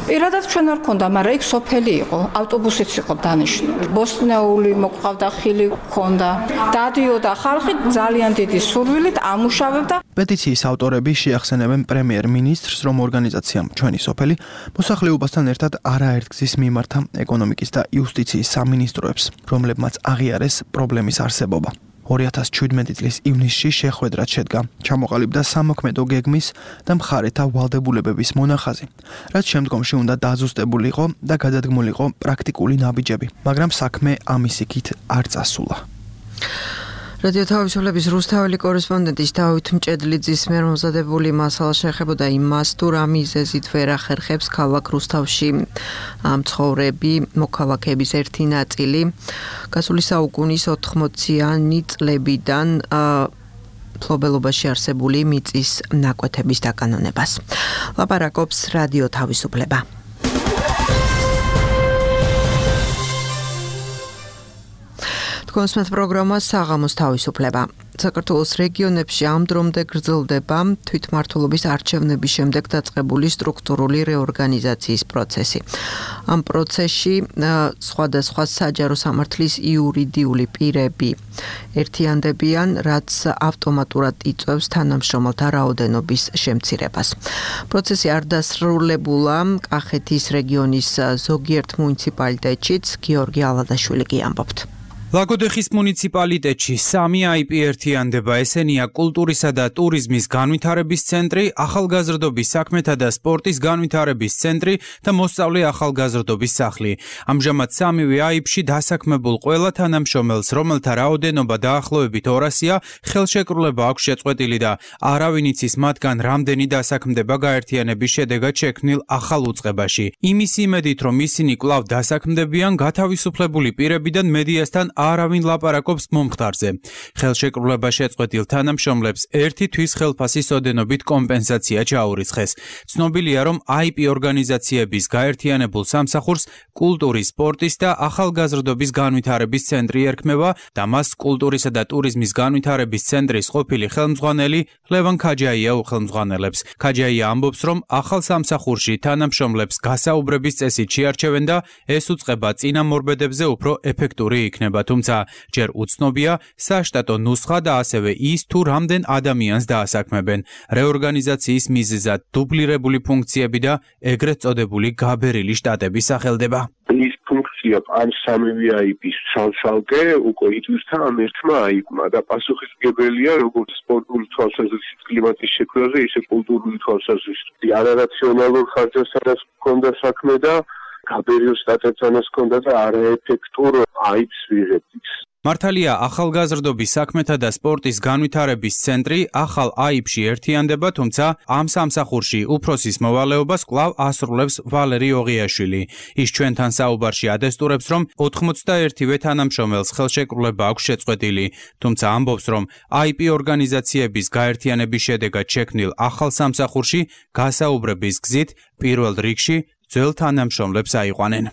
პირადად ჩვენ არ ქონდა, მაგრამ იქ სოფელი იყო, ავტობუსიც იყო დანიშნული. ბოსტნეული მოყავდა, ხილი ქონდა. დადიოდა ხალხი ძალიან დიდი სურვილით ამუშავებდა. პეტიციის ავტორები შეახსენებენ პრემიერ-მინისტრს, რომ ორგანიზაციამ ჩვენი სოფელი მოსახლეობასთან ერთად არაერთგზის მიმართა ეკონომიკის და იუსტიციის სამინისტროებს, რომლებმაც აღიარეს პრობლემის არსებობა. ორი ათას შვიდმეტი წლის ივნისში შეხვედრად შედგა, ჩამოყალიბდა სამოქმედო გეგმის და მხარეთა ვალდებულებების მონახაზი, რაც შემდგომში უნდა დაზუსტებულიყო და გადადგმულიყო პრაქტიკული ნაბიჯები, მაგრამ საქმე ამის იქით არ წასულა. რადიო თავისუფლების რუსთაველი კორესპონდენტის დავით მჭედლიძის მიერ მომზადებული მასალა შეეხებოდა იმას, თუ რა მიზეზით ვერ ახერხებს ქალაქ რუსთავში მცხოვრები მოქალაქეების ერთი ნაწილი გასული საუკუნის ოთხმოციანი წლებიდან მფლობელობაში არსებული მიწის ნაკვეთების დაკანონებას. ლაპარაკობს რადიო თავისუფლება. კონსმეთ პროგრამა საღამოს თავისუფლება. საქართველოს რეგიონებში ამ დრომდე გრძელდება თვითმმართველობის არჩევნების შემდეგ დაწყებული სტრუქტურული რეორგანიზაციის პროცესი. ამ პროცესში სხვადასხვა საჯარო სამართლის იურიდიული პირები ერთიანდებიან, რაც ავტომატურად იწვევს თანამშრომელთა რაოდენობის შემცირებას. პროცესი არ დასრულებულა კახეთის რეგიონის ზოგიერთ მუნიციპალიტეტშიც, გიორგი ალადაშვილი კი ამბობთ. ლაგოდეხის მუნიციპალიტეტში სამი აი პი ერთიანდება, ესენია კულტურისა და ტურიზმის განვითარების ცენტრი, ახალგაზრდობის საქმეთა და სპორტის განვითარების ცენტრი და მოსწავლე ახალგაზრდობის სახლი. ამჟამად სამივე აი-ში დასაქმებულ ყველა თანამშრომელს, რომელთა რაოდენობა დაახლოებით ორასია, ხელშეკრულება აქვს შეწყვეტილი და არავინ იცის მათგან რამდენი დასაქმდება გაერთიანების შედეგად შექმნილ ახალ უწყებაში. იმის იმედით, რომ ისინი კვლავ დასაქმდებიან, გათავისუფლებული პირებიდან მედიასთან არავინ ლაპარაკობს მომხდარზე. ხელშეკრულება შეწყვეტილ თანამშრომლებს ერთი თვის ხელფასის ოდენობით კომპენსაცია ჩაურიცხეს. ცნობილია, რომ აი პი ორგანიზაციების გაერთიანებულ სამსახურს კულტურის, სპორტის და ახალგაზრდობის განვითარების ცენტრი ერქმევა და მას კულტურისა და ტურიზმის განვითარების ცენტრის ყოფილი ხელმძღვანელი ლევან ქაჯაია უხელმძღვანელებს. ქაჯაია ამბობს, რომ ახალ სამსახურში თანამშრომლებს გასაუბრების წესით შეარჩევენ და ეს უწყება წინამორბედებზე უფრო ეფექტური იქნება, თუმცა ჯერ უცნობია საშტატო ნუსხა და ასევე ის თუ რამდენ ადამიანს დაასაქმებენ. რეორგანიზაციის მიზეზად დუბლირებული ფუნქციები და ეგრეთ წოდებული გაბერილი შტატები სახელდება. ის ფუნქცია ან სამივე აი პის ცალ-ცალკე უკვე იწვევს ამ ერთმა აი პმა და პასუხისმგებელია როგორც სპორტული თვალსაზრისით კლიმატის შექმნაზე, ისე კულტურული თვალსაზრისით. არარაციონალურ ხარჯებსაც ჰქონდა საქმე და გაბერილ შტატებთანაც ჰქონდა და არაეფექტურ აი პს ვიღებთ. მართალია, ახალგაზრდობის საქმეთა და სპორტის განვითარების ცენტრი ახალ აი პში ერთიანდება, თუმცა ამ სამსახურში უფროსის მოვალეობას კვლავ ასრულებს ვალერი ოღიაშვილი. ის ჩვენთან საუბარში ადესტურებს, რომ ოთხმოცდაერთივე თანამშრომელს ხელშეკრულება აქვს შეწყვეტილი, თუმცა ამბობს, რომ აი პი ორგანიზაციების გაერთიანების შედეგად შექმნილ ახალ სამსახურში გასაუბრების გზით პირველ რიგში ძველ თანამშრომლებს აიყვანენ.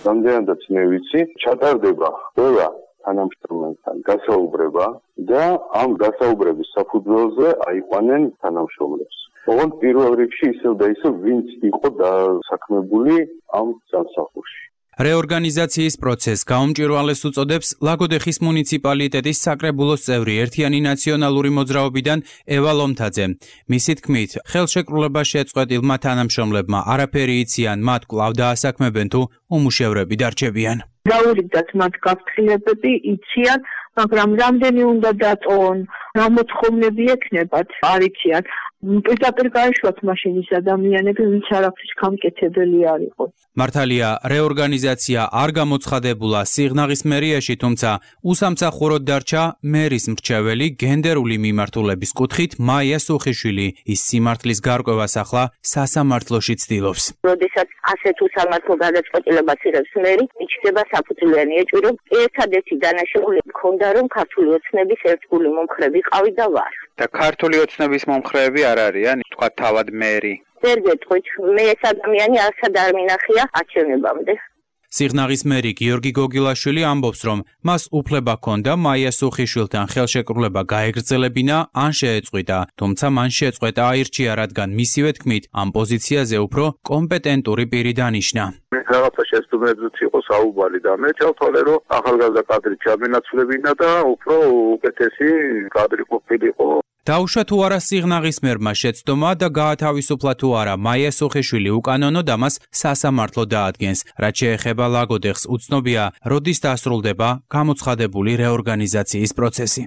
რამდენადაც მე ვიცი, ჩატარდება ყველა თანამშრომელთან გასაუბრება და ამ გასაუბრების საფუძველზე აიყვანენ თანამშრომლებს. ოღონდ პირველ რიგში ისევ და ისევ ვინც იყო დასაქმებული ამ სამსახურში. რეორგანიზაციის პროცესს გაუმჭვირვალეს უწოდებს ლაგოდეხის მუნიციპალიტეტის საკრებულოს წევრი ერთიანი ნაციონალური მოძრაობიდან ევა ლომთაძე. მისი თქმით, ხელშეკრულება შეწყვეტილმა თანამშრომლებმა არაფერი იციან, მათ კვლავ დაასაქმებენ თუ უმუშევრები დარჩებიან. დაურიგდათ მათ გაფრთხილებები, იციან, მაგრამ რამდენი უნდა დატოვონ, რა მოთხოვნები ექნებათ, არ იციან. პირდაპირ გაეშვათ მაშინ ის ადამიანები, ვინც არაფრის გამკეთებელი არ იყო. მართალია, რეორგანიზაცია არ გამოცხადებულა სიღნაღის მერიაში, თუმცა უსამსახუროდ დარჩა მერის მრჩეველი გენდერული მიმართულების კუთხით მაია სუხიშვილი. ის სიმართლის გარკვევას ახლა სასამართლოში ცდილობს. როდესაც ასეთ უსამართლო გადაწყვეტილებას იღებს მერი, იჩნდება საფუძვლიანი ეჭვი, რომ ერთადერთი დანაშაული მქონდა, რომ ქართული ოცნების ერთგული მომხრე ვიყავი და ვარ. და ქართული ოცნების მომხრეები არ არიან, თქვა თავად მერი. ვერ გეტყვით, მე ეს ადამიანი არცად არ მინახია არჩევნებამდე. სიღნაღის მერი გიორგი გოგილაშვილი ამბობს, რომ მას უფლება ჰქონდა მაია სუხიშვილთან ხელშეკრულება გაეგრძელებინა ან შეეწყვიტა, თუმცა მან შეწყვეტა აირჩია, რადგან მისივე თქმით, ამ პოზიციაზე უფრო კომპეტენტური პირი დანიშნა. რაღაცა შესაბამისად იყო საუბარი და მე ჩავთვალე, რომ ახალგაზრდა კადრი ჩამენაცვლებინა და უფრო უკეთესი კადრი ყოფილიყო. დაუშვა თუ არა სიღნაღის მერმა შეცდომა და გაათავისუფლა თუ არა მაია სუხიშვილი უკანონო და მას სასამართლო დაადგენს. რაც შეეხება ლაგოდეხს, უცნობია, როდის დასრულდება გამოცხადებული რეორგანიზაციის პროცესი.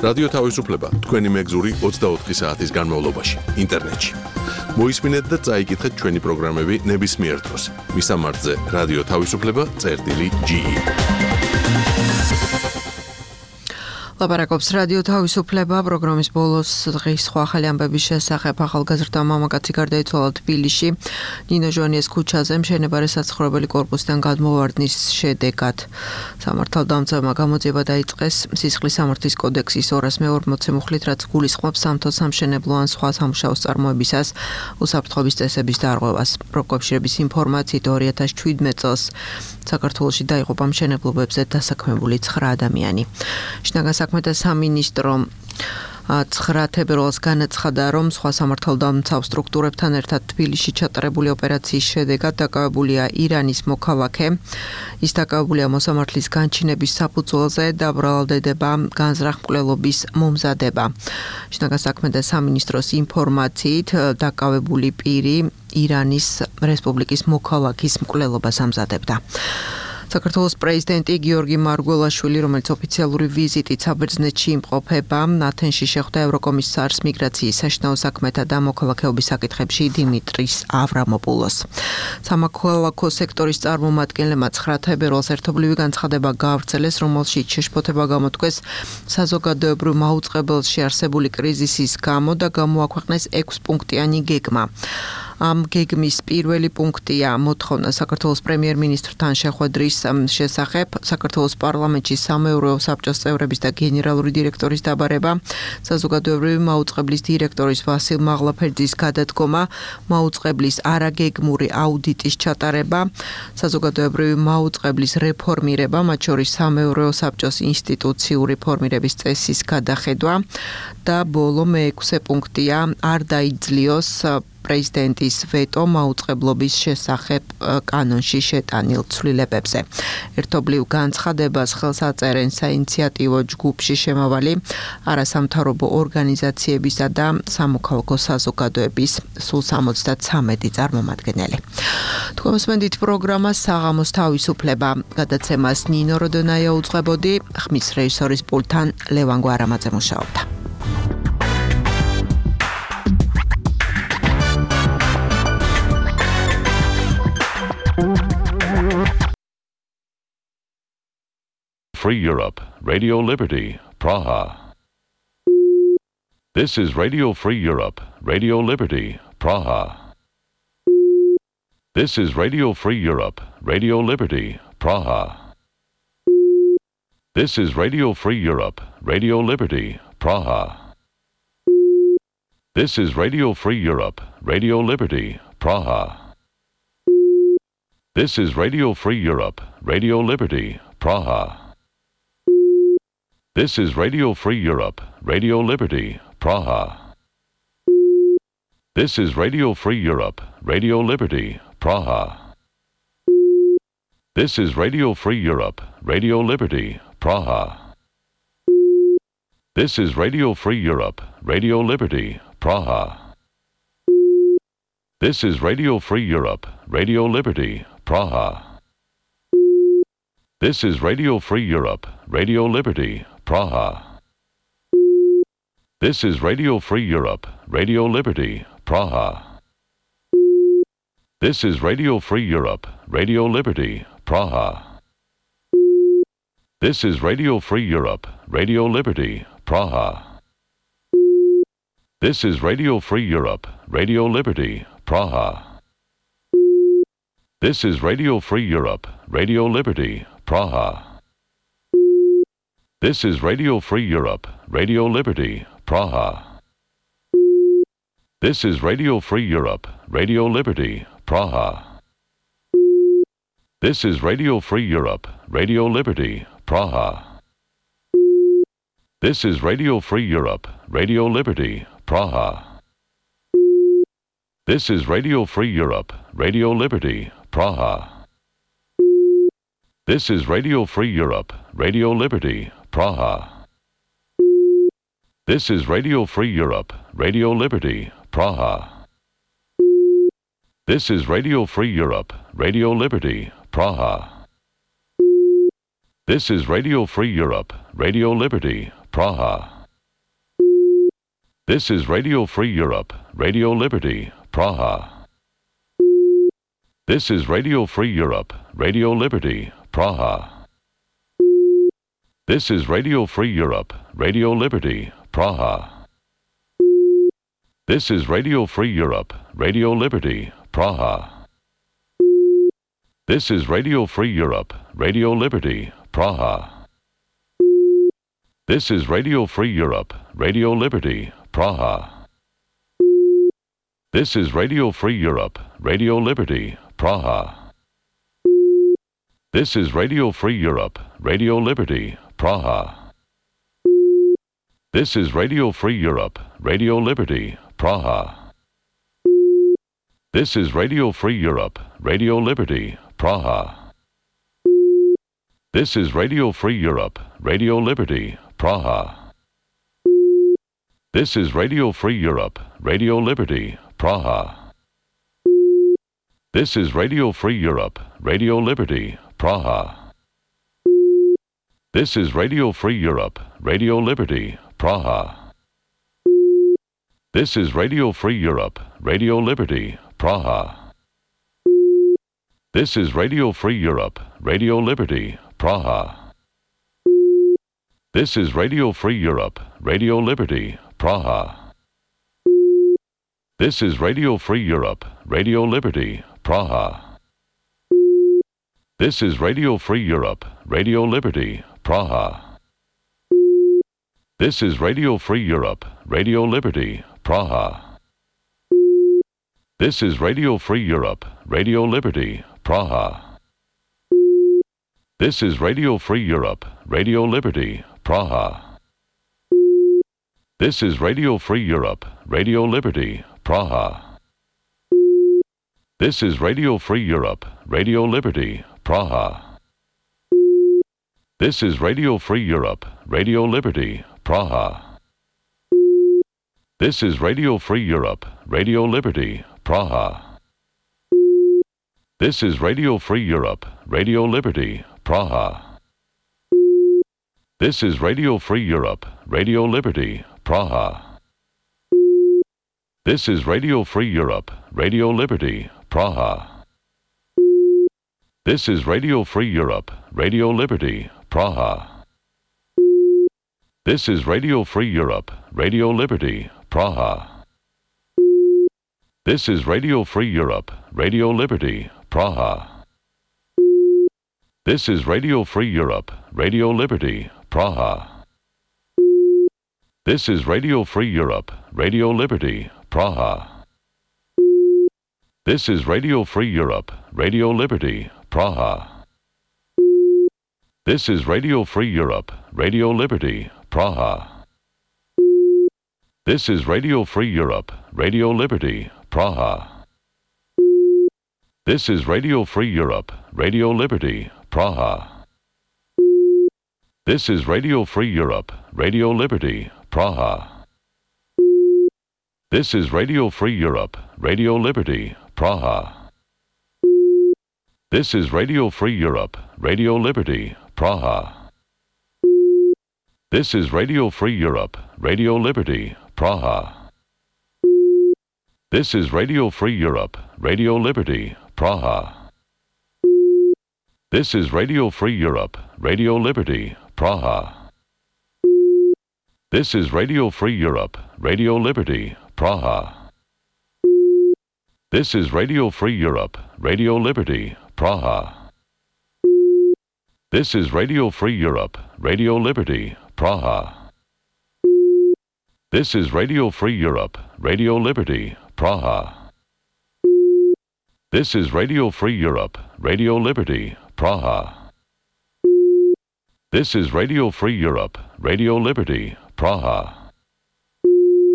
რადიო თავისუფლება თქვენი მეგზური ოცდაოთხი საათის განმავლობაში ინტერნეტში. მოისმინეთ და წაიკითხეთ ჩვენი პროგრამები ნებისმიერ დროს. მისამართზე რადიო თავისუფლება წერტილი ჯი ი. ლაპარაკობს რადიო თავისუფლება პროგრამის ბოლოს დღის სხვა ახალი ამბების შესახებ. ახალგაზრდა მამაკაცი გარდაიცვალა თბილისში ნინო ჟვანიეს ქუჩაზე მშენებარე საცხოვრებელი კორპუსიდან გადმოვარდნის შედეგად. სამართალდამცავმა გამოძიება დაიწყეს სისხლის სამართლის კოდექსის ორას მეოთხე მოცემუხლით, რაც გულისხმობს სამთო სამშენებლო ან სხვა სამუშაოს წარმოებისას უსაფრთხოების წესების დარღვევას. პროკავშირების ინფორმაციით ორი ათას შვიდმეტ წელს საქართველოში დაიღუპა მშენებლობებზე დასაქმებული ცხრა ადამიანი. შინაგან საქმეთა სამინისტრო ცხრა თებერვალს განაცხადა, რომ სხვა სამართალდამცავ სტრუქტურებთან ერთად თბილისში ჩატარებული ოპერაციის შედეგად დაკავებულია ირანის მოქალაქე. ის დაკავებულია მოსამართლის განჩინების საფუძველზე და ბრალდება განზრახ-მკვლელობის მომზადება. შინაგან საქმეთა სამინისტროს ინფორმაციით დაკავებული პირი ირანის რესპუბლიკის მოქალაქის მკვლელობას ამზადებდა. საქართველოს პრეზიდენტი გიორგი მარგველაშვილი, რომელიც ოფიციალური ვიზიტით საბერძნეთში იმყოფება, ათენში შეხვდა ევროკომისარს მიგრაციის, საშინაო საქმეთა და მოქალაქეობის საკითხებში დიმიტრის ავრამოპულოს. სამოქალაქო სექტორის წარმომადგენლებმა ცხრა თებერვალს ერთობლივი განცხადება გაავრცელეს, რომელშიც შეშფოთება გამოთქვეს საზოგადოებრივ მაუწყებელში არსებული კრიზისის გამო და გამოაქვეყნეს ექვსპუნქტიანი გეგმა. ამ გეგმის პირველი პუნქტია მოთხოვნა საქართველოს პრემიერ-მინისტრთან შეხვედრის შესახებ საქართველოს პარლამენტში სამეურვეო საბჭოს წევრების და გენერალური დირექტორის დაბარება, საზოგადოებრივი მაუწყებლის დირექტორის ვასილ მაღლაფერძის გადადგომა, მაუწყებლის არაგეგმური აუდიტის ჩატარება, საზოგადოებრივი მაუწყებლის რეფორმირება, მათ შორის სამეურვეო საბჭოს ინსტიტუციური ფორმირების წესის გადახედვა და ბოლო მეექვსე პუნქტია არ დაიძლიოს პრეზიდენტის ვეტო მაუწყებლობის შესახებ კანონში შეტანილ ცვლილებებზე. ერთობლივ განცხადებას ხელს აწერენ საინიციატივო ჯგუფში შემავალი არასამთავრობო ორგანიზაციებისა და სამოქალაქო საზოგადოების სულ სამოცდათვრამეტი წარმომადგენელი. თქვენსმენდით პროგრამა საღამოს თავისუფლება გადაცემას ნინო როდონაია უძღვებოდი, ხმის რეჟისორის პულტთან ლევან გვარამაძე მუშაობდა. Free Europe, Radio Liberty, Praha. This is Radio Free Europe, Radio Liberty, Praha. This is Radio Free Europe, Radio Liberty, Praha. This is Radio Free Europe, Radio Liberty, Praha. This is Radio Free Europe, Radio Liberty, Praha. This is Radio Free Europe, Radio Liberty, Praha. This is Radio Free Europe, Radio Liberty, Praha. This is Radio Free Europe, Radio Liberty, Praha. This is Radio Free Europe, Radio Liberty, Praha. This is Radio Free Europe, Radio Liberty, Praha. This is Radio Free Europe, Radio Liberty, Praha. This is Radio Free Europe, Radio Liberty, Praha. This is Radio Free Europe, Radio Liberty, Praha. This is Radio Free Europe, Radio Liberty, Praha. This is Radio Free Europe, Radio Liberty, Praha. This is Radio Free Europe, Radio Liberty, Praha. This is Radio Free Europe, Radio Liberty, Praha. This is Radio Free Europe, Radio Liberty, Praha. This is Radio Free Europe, Radio Liberty, Praha. This is Radio Free Europe, Radio Liberty, Praha. This is Radio Free Europe, Radio Liberty, Praha. This is Radio Free Europe, Radio Liberty, Praha. This is Radio Free Europe, Radio Liberty, Praha. This is Radio Free Europe, Radio Liberty, Praha. This is Radio Free Europe, Radio Liberty, Praha. This is Radio Free Europe, Radio Liberty, Praha. This is Radio Free Europe, Radio Liberty, Praha. This is Radio Free Europe, Radio Liberty, Praha. This is Radio Free Europe, Radio Liberty, Praha. This is Radio Free Europe, Radio Liberty, Praha. This is Radio Free Europe, Radio Liberty, Praha. This is Radio Free Europe, Radio Liberty, Praha. This is Radio Free Europe, Radio Liberty, Praha. This is Radio Free Europe, Radio Liberty, Praha. This is Radio Free Europe, Radio Liberty, Praha. This is Radio Free Europe, Radio Liberty, Praha. This is Radio Free Europe, Radio Liberty, Praha. This is Radio Free Europe, Radio Liberty, Praha. This is Radio Free Europe, Radio Liberty, Praha. This is Radio Free Europe, Radio Liberty, Praha. This is Radio Free Europe, Radio Liberty, Praha. This is Radio Free Europe, Radio Liberty, Praha. This is Radio Free Europe, Radio Liberty, Praha. This is Radio Free Europe, Radio Liberty, Praha. This is Radio Free Europe, Radio Liberty, Praha. This is Radio Free Europe, Radio Liberty, Praha. This is Radio Free Europe, Radio Liberty, Praha. This is Radio Free Europe, Radio Liberty, Praha. This is Radio Free Europe, Radio Liberty, Praha. This is Radio Free Europe, Radio Liberty, Praha. This is Radio Free Europe, Radio Liberty, Praha. This is Radio Free Europe, Radio Liberty, Praha. This is Radio Free Europe, Radio Liberty, Praha. This is Radio Free Europe, Radio Liberty, Praha. This is Radio Free Europe, Radio Liberty, Praha. This is Radio Free Europe, Radio Liberty, Praha. This is Radio Free Europe, Radio Liberty, Praha. This is Radio Free Europe, Radio Liberty, Praha. This is Radio Free Europe, Radio Liberty, Praha. This is Radio Free Europe, Radio Liberty, Praha. This is Radio Free Europe, Radio Liberty, Praha. This is Radio Free Europe, Radio Liberty, Praha. This is Radio Free Europe, Radio Liberty, Praha. This is Radio Free Europe, Radio Liberty, Praha. This is Radio Free Europe, Radio Liberty, Praha. This is Radio Free Europe, Radio Liberty, Praha. This is Radio Free Europe, Radio Liberty, Praha. This is Radio Free Europe, Radio Liberty, Praha. This is Radio Free Europe, Radio Liberty, Praha. This is Radio Free Europe, Radio Liberty, Praha. This is Radio Free Europe, Radio Liberty, Praha. This is Radio Free Europe, Radio Liberty, Praha. This is Radio Free Europe, Radio Liberty, Praha. This is Radio Free Europe, Radio Liberty, Praha. This is Radio Free Europe, Radio Liberty, Praha. This is Radio Free Europe, Radio Liberty, Praha.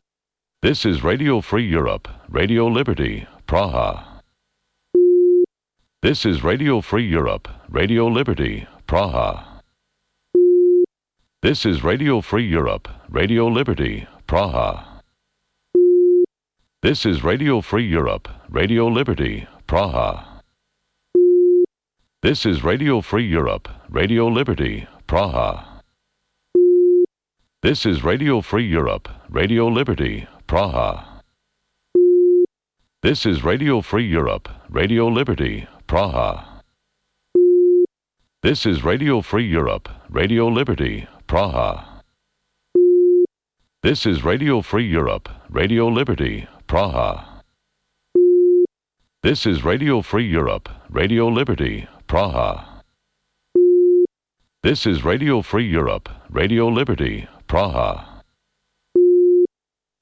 This is Radio Free Europe, Radio Liberty, Praha. This is Radio Free Europe, Radio Liberty, Praha. This is Radio Free Europe, Radio Liberty, Praha. This is Radio Free Europe, Radio Liberty, Praha. This is Radio Free Europe, Radio Liberty, Praha. This is Radio Free Europe, Radio Liberty, Praha. This is Radio Free Europe, Radio Liberty, Praha. This is Radio Free Europe, Radio Liberty, Praha. This is Radio Free Europe, Radio Liberty, Praha. This is Radio Free Europe, Radio Liberty, Praha. This is Radio Free Europe, Radio Liberty, Praha.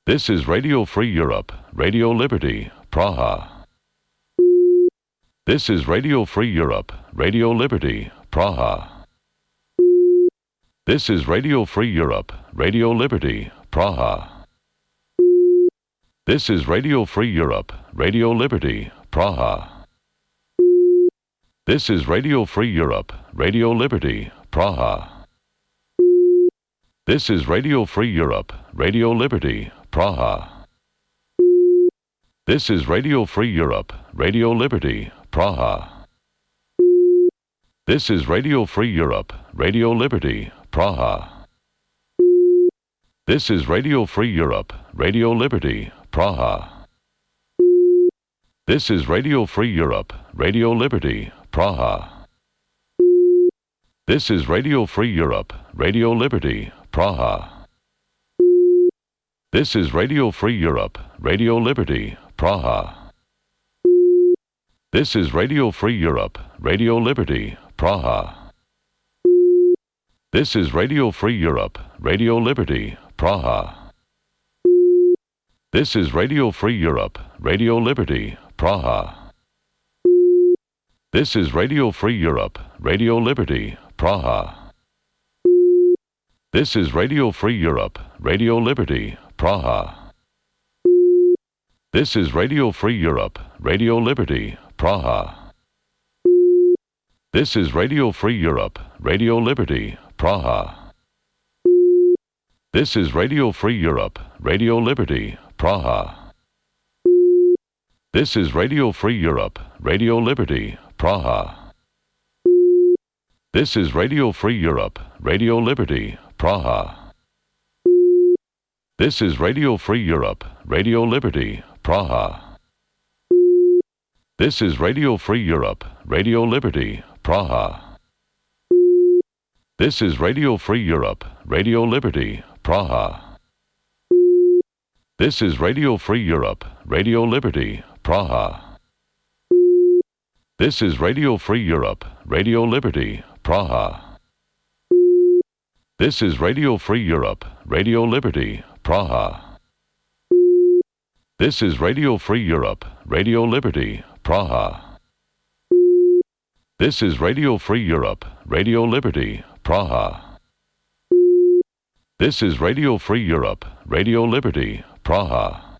This is Radio Free Europe, Radio Liberty, Praha. This is Radio Free Europe, Radio Liberty, Praha. This is Radio Free Europe, Radio Liberty, Praha. This is Radio Free Europe, Radio Liberty, Praha. This is Radio Free Europe, Radio Liberty, Praha. This is Radio Free Europe, Radio Liberty, Praha. This is Radio Free Europe, Radio Liberty, Praha. This is Radio Free Europe, Radio Liberty, Praha. This is Radio Free Europe, Radio Liberty, Praha. This is Radio Free Europe, Radio Liberty, Praha. This is Radio Free Europe, Radio Liberty, Praha. This is Radio Free Europe, Radio Liberty, Praha. This is Radio Free Europe, Radio Liberty, Praha. This is Radio Free Europe, Radio Liberty, Praha. This is Radio Free Europe, Radio Liberty, Praha. This is Radio Free Europe, Radio Liberty, Praha. This is Radio Free Europe, Radio Liberty, Praha. This is Radio Free Europe, Radio Liberty, Praha. This is Radio Free Europe, Radio Liberty, Praha. This is Radio Free Europe, Radio Liberty, Praha. This is Radio Free Europe, Radio Liberty, Praha. This is Radio Free Europe, Radio Liberty, Praha. This is Radio Free Europe, Radio Liberty, Praha. This is Radio Free Europe, Radio Liberty, Praha. This is Radio Free Europe, Radio Liberty, Praha. This is Radio Free Europe, Radio Liberty, Praha. This is Radio Free Europe, Radio Liberty, Praha. This is Radio Free Europe, Radio Liberty, Praha. This is Radio Free Europe, Radio Liberty, Praha. This is Radio Free Europe, Radio Liberty, Praha. This is Radio Free Europe, Radio Liberty, Praha.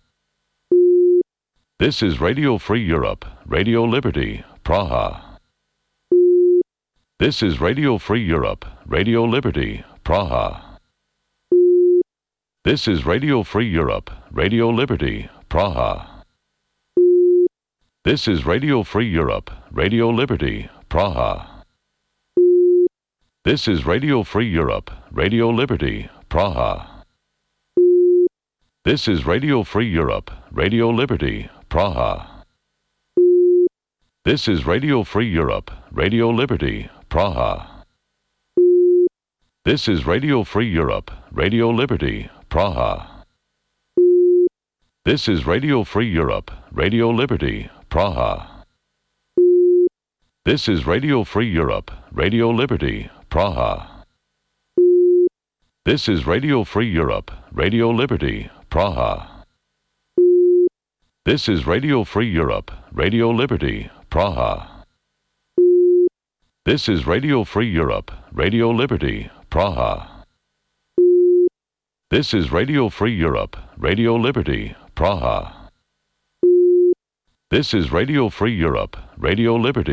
This is Radio Free Europe, Radio Liberty, Praha. This is Radio Free Europe, Radio Liberty, Praha. This is Radio Free Europe, Radio Liberty, Praha. This is Radio Free Europe, Radio Liberty, Praha. This is Radio Free Europe, Radio Liberty, Praha. This is Radio Free Europe, Radio Liberty, Praha. This is Radio Free Europe, Radio Liberty, Praha. This is Radio Free Europe, Radio Liberty, Praha. This is Radio Free Europe, Radio Liberty, Praha. This is Radio Free Europe, Radio Liberty, Praha. This is Radio Free Europe, Radio Liberty, Praha. This is Radio Free Europe, Radio Liberty, Praha. This is Radio Free Europe, Radio Liberty, Praha. This is Radio Free Europe, Radio Liberty, Praha. This is Radio Free Europe, Radio Liberty, Praha. This is Radio Free Europe, Radio Liberty,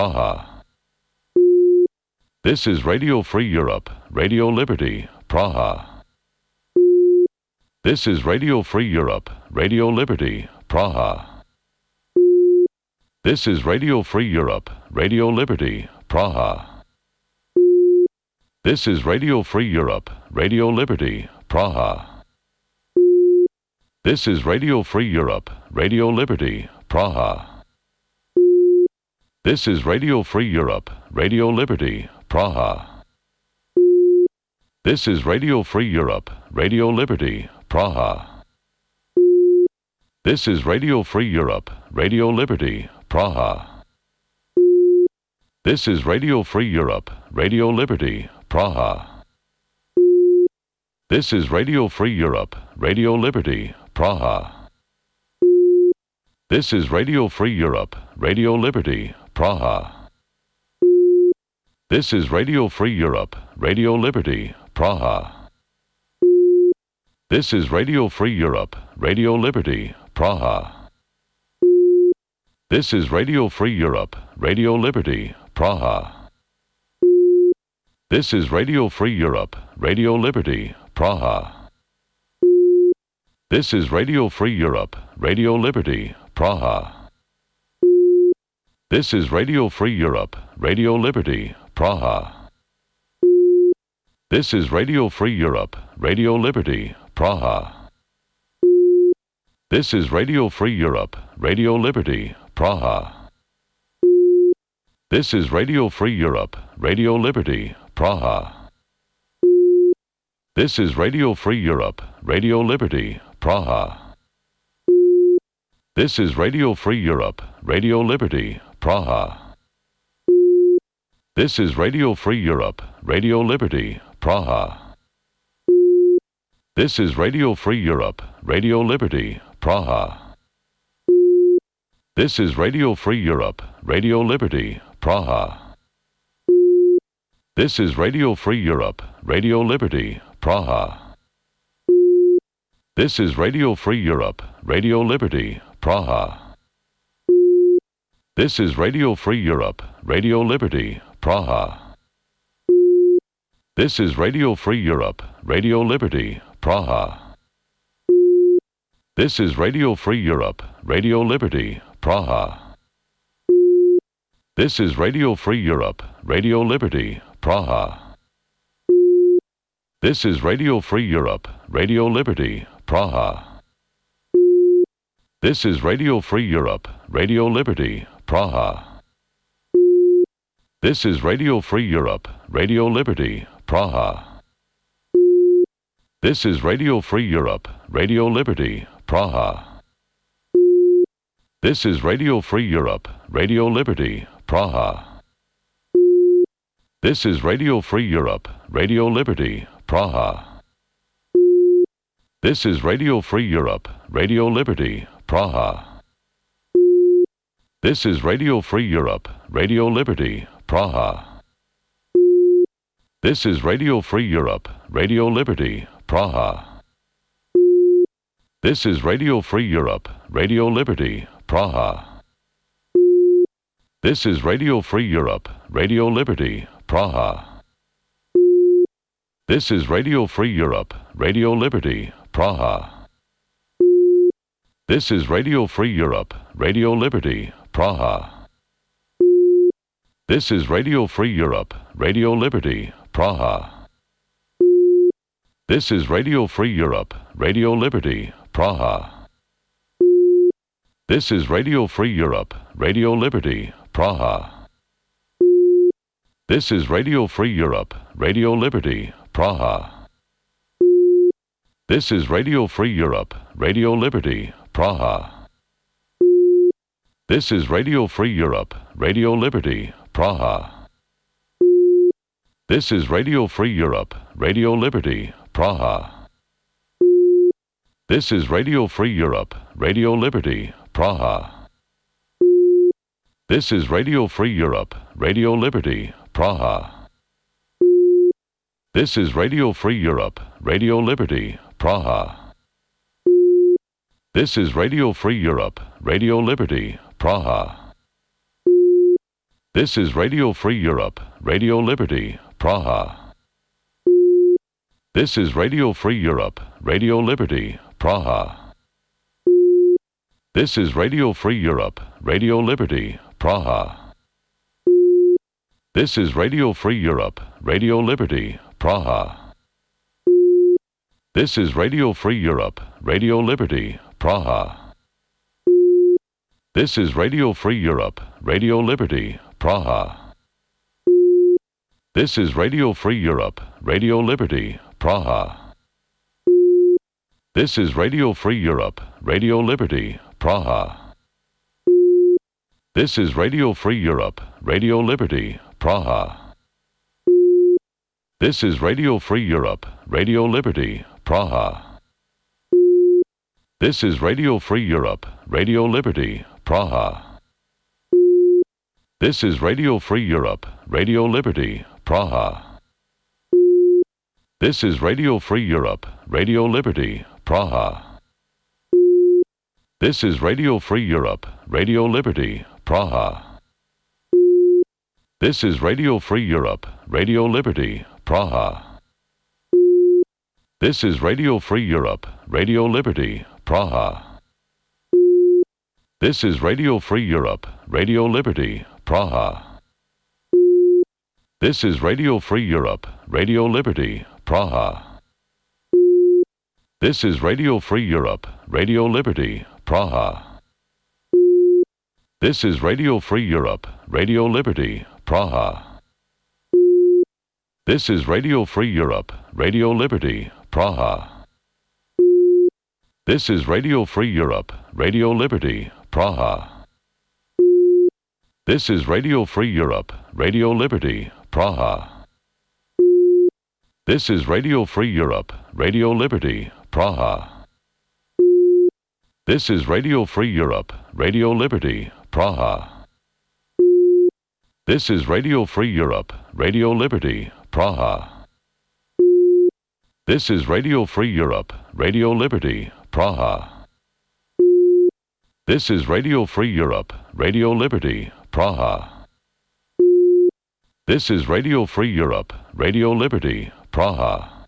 Praha. This is Radio Free Europe, Radio Liberty, Praha. This is Radio Free Europe, Radio Liberty, Praha. This is Radio Free Europe, Radio Liberty, Praha. This is Radio Free Europe, Radio Liberty, Praha. This is Radio Free Europe, Radio Liberty, Praha. This is Radio Free Europe, Radio Liberty, Praha. This is Radio Free Europe, Radio Liberty, Praha. This is Radio Free Europe, Radio Liberty, Praha. This is Radio Free Europe, Radio Liberty, Praha. This is Radio Free Europe, Radio Liberty, Praha. This is Radio Free Europe, Radio Liberty, Praha. This is Radio Free Europe, Radio Liberty, Praha. This is Radio Free Europe, Radio Liberty, Praha. This is Radio Free Europe, Radio Liberty, Praha. This is Radio Free Europe, Radio Liberty, Praha. This is Radio Free Europe, Radio Liberty, Praha. This is Radio Free Europe, Radio Liberty, Praha. This is Radio Free Europe, Radio Liberty, Praha. This is Radio Free Europe, Radio Liberty, Praha. This is Radio Free Europe, Radio Liberty, Praha. This is Radio Free Europe, Radio Liberty, Praha. This is Radio Free Europe, Radio Liberty, Praha. This is Radio Free Europe, Radio Liberty, Praha. This is Radio Free Europe, Radio Liberty, Praha. This is Radio Free Europe, Radio Liberty, Praha. This is Radio Free Europe, Radio Liberty, Praha. This is Radio Free Europe, Radio Liberty, Praha. This is Radio Free Europe, Radio Liberty, Praha. This is Radio Free Europe, Radio Liberty, Praha. This is Radio Free Europe, Radio Liberty, Praha. This is Radio Free Europe, Radio Liberty, Praha. This is Radio Free Europe, Radio Liberty, Praha. This is Radio Free Europe, Radio Liberty, Praha. This is Radio Free Europe, Radio Liberty, Praha. This is Radio Free Europe, Radio Liberty, Praha. This is Radio Free Europe, Radio Liberty, Praha. This is Radio Free Europe, Radio Liberty, Praha. This is Radio Free Europe, Radio Liberty, Praha. This is Radio Free Europe, Radio Liberty, Praha. This is Radio Free Europe, Radio Liberty, Praha. This is Radio Free Europe, Radio Liberty, Praha. This is Radio Free Europe, Radio Liberty, Praha. This is Radio Free Europe, Radio Liberty, Praha. This is Radio Free Europe, Radio Liberty, Praha. This is Radio Free Europe, Radio Liberty, Praha. This is Radio Free Europe, Radio Liberty, Praha. This is Radio Free Europe, Radio Liberty, Praha. This is Radio Free Europe, Radio Liberty, Praha. This is Radio Free Europe, Radio Liberty, Praha. This is Radio Free Europe, Radio Liberty, Praha. This is Radio Free Europe, Radio Liberty, Praha. This is Radio Free Europe, Radio Liberty, Praha. This is Radio Free Europe, Radio Liberty, Praha. This is Radio Free Europe, Radio Liberty, Praha. This is Radio Free Europe, Radio Liberty, Praha. This is Radio Free Europe, Radio Liberty, Praha. This is Radio Free Europe, Radio Liberty, Praha. This is Radio Free Europe, Radio Liberty, Praha. This is Radio Free Europe, Radio Liberty, Praha. This is Radio Free Europe, Radio Liberty, Praha. This is Radio Free Europe, Radio Liberty, Praha. This is Radio Free Europe, Radio Liberty, Praha. This is Radio Free Europe, Radio Liberty, Praha. This is Radio Free Europe, Radio Liberty, Praha. This is Radio Free Europe, Radio Liberty, Praha. This is Radio Free Europe, Radio Liberty, Praha. This is Radio Free Europe, Radio Liberty, Praha. This is Radio Free Europe, Radio Liberty, Praha. This is Radio Free Europe, Radio Liberty, Praha. This is Radio Free Europe, Radio Liberty, Praha. This is Radio Free Europe, Radio Liberty, Praha. This is Radio Free Europe, Radio Liberty, Praha. This is Radio Free Europe, Radio Liberty, Praha. This is Radio Free Europe, Radio Liberty, Praha. This is Radio Free Europe, Radio Liberty, Praha. This is Radio Free Europe, Radio Liberty, Praha. This is Radio Free Europe, Radio Liberty, Praha. This is Radio Free Europe, Radio Liberty, Praha. This is Radio Free Europe, Radio Liberty, Praha. This is Radio Free Europe, Radio Liberty, Praha. This is Radio Free Europe, Radio Liberty, Praha. This is Radio Free Europe, Radio Liberty, Praha. This is Radio Free Europe, Radio Liberty, Praha.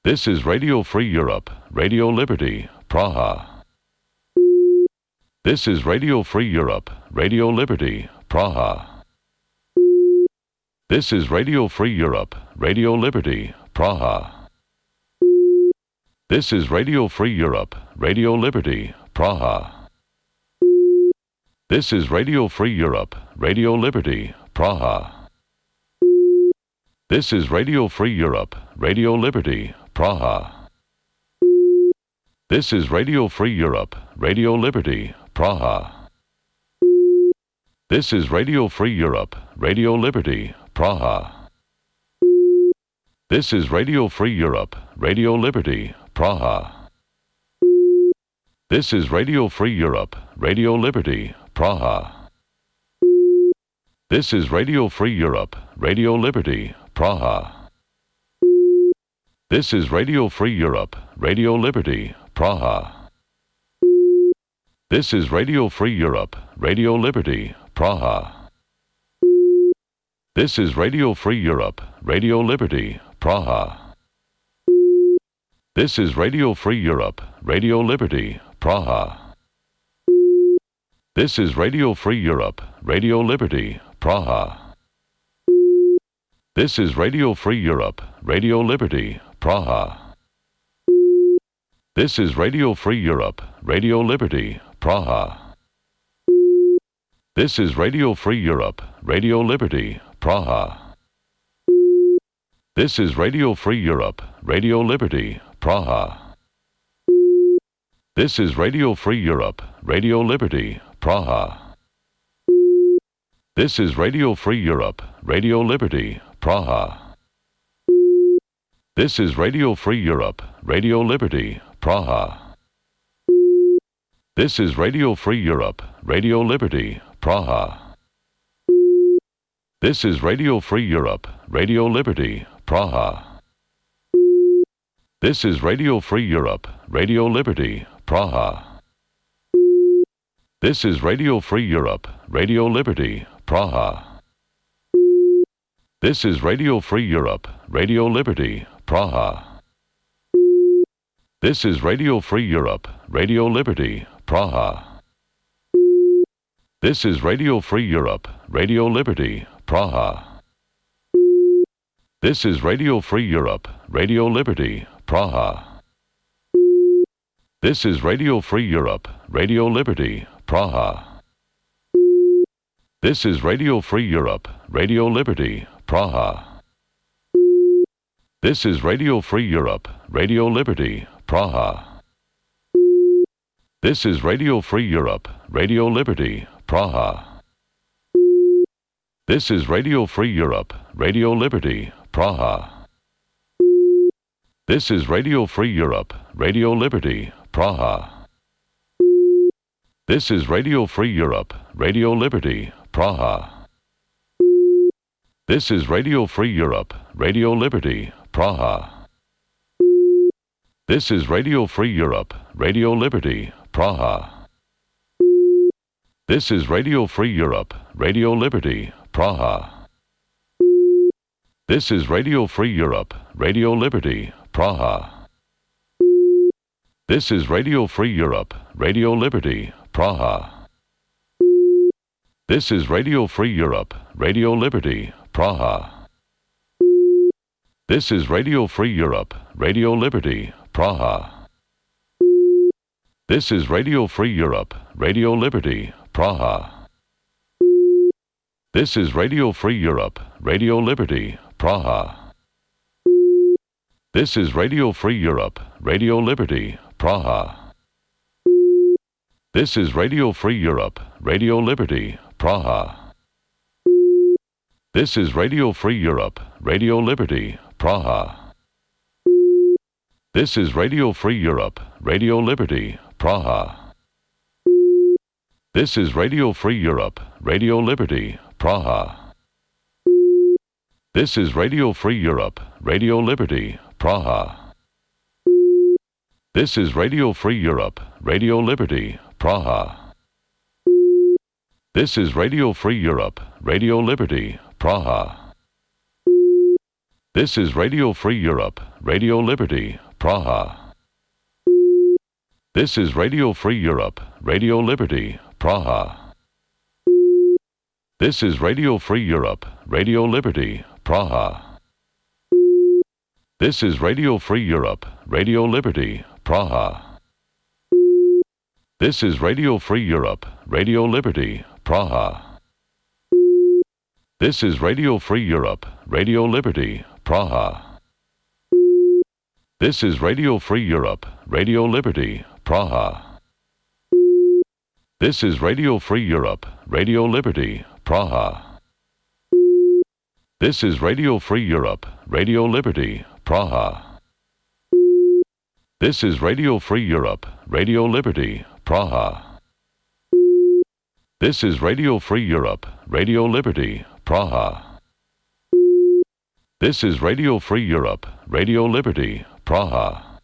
This is Radio Free Europe, Radio Liberty, Praha. This is Radio Free Europe, Radio Liberty, Praha. This is Radio Free Europe, Radio Liberty, Praha. This is Radio Free Europe, Radio Liberty, Praha. This is Radio Free Europe, Radio Liberty, Praha. This is Radio Free Europe, Radio Liberty, Praha. This is Radio Free Europe, Radio Liberty, Praha. This is Radio Free Europe, Radio Liberty, Praha. This is Radio Free Europe, Radio Liberty, Praha. This is Radio Free Europe, Radio Liberty, Praha. This is Radio Free Europe, Radio Liberty, Praha. This is Radio Free Europe, Radio Liberty, Praha. This is Radio Free Europe, Radio Liberty, Praha. This is Radio Free Europe, Radio Liberty, Praha. This is Radio Free Europe, Radio Liberty, Praha. This is Radio Free Europe, Radio Liberty, Praha. This is Radio Free Europe, Radio Liberty, Praha. This is Radio Free Europe, Radio Liberty, Praha. This is Radio Free Europe, Radio Liberty, Praha. This is Radio Free Europe, Radio Liberty, Praha. This is Radio Free Europe, Radio Liberty, Praha. This is Radio Free Europe, Radio Liberty, Praha. This is Radio Free Europe, Radio Liberty, Praha. This is Radio Free Europe, Radio Liberty, Praha. This is Radio Free Europe, Radio Liberty, Praha. This is Radio Free Europe, Radio Liberty, Praha. This is Radio Free Europe, Radio Liberty, Praha. This is Radio Free Europe, Radio Liberty, Praha. This is Radio Free Europe, Radio Liberty, Praha. This is Radio Free Europe, Radio Liberty, Praha. This is Radio Free Europe, Radio Liberty, Praha. This is Radio Free Europe, Radio Liberty, Praha. This is Radio Free Europe, Radio Liberty, Praha. This is Radio Free Europe, Radio Liberty, Praha. This is Radio Free Europe, Radio Liberty, Praha. This is Radio Free Europe, Radio Liberty, Praha. This is Radio Free Europe, Radio Liberty, Praha. This is Radio Free Europe, Radio Liberty, Praha. This is Radio Free Europe, Radio Liberty, Praha. This is Radio Free Europe, Radio Liberty, Praha. This is Radio Free Europe, Radio Liberty, Praha. This is Radio Free Europe, Radio Liberty, Praha. This is Radio Free Europe, Radio Liberty, Praha. This is Radio Free Europe, Radio Liberty, Praha. This is Radio Free Europe, Radio Liberty, Praha. This is Radio Free Europe, Radio Liberty, Praha. This is Radio Free Europe, Radio Liberty, Praha. This is Radio Free Europe, Radio Liberty, Praha. This is Radio Free Europe, Radio Liberty, Praha. This is Radio Free Europe, Radio Liberty, Praha. This is Radio Free Europe, Radio Liberty, Praha. This is Radio Free Europe, Radio Liberty, Praha. This is Radio Free Europe, Radio Liberty, Praha. This is Radio Free Europe, Radio Liberty, Praha. This is Radio Free Europe, Radio Liberty, Praha. This is Radio Free Europe, Radio Liberty, Praha. This is Radio Free Europe, Radio Liberty, Praha. This is Radio Free Europe, Radio Liberty, Praha. This is Radio Free Europe, Radio Liberty, Praha. This is Radio Free Europe, Radio Liberty, Praha. This is Radio Free Europe, Radio Liberty, Praha. This is Radio Free Europe, Radio Liberty, Praha. This is Radio Free Europe, Radio Liberty, Praha. This is Radio Free Europe, Radio Liberty, Praha. This is Radio Free Europe, Radio Liberty, Praha. This is Radio Free Europe, Radio Liberty, Praha. This is Radio Free Europe, Radio Liberty, Praha.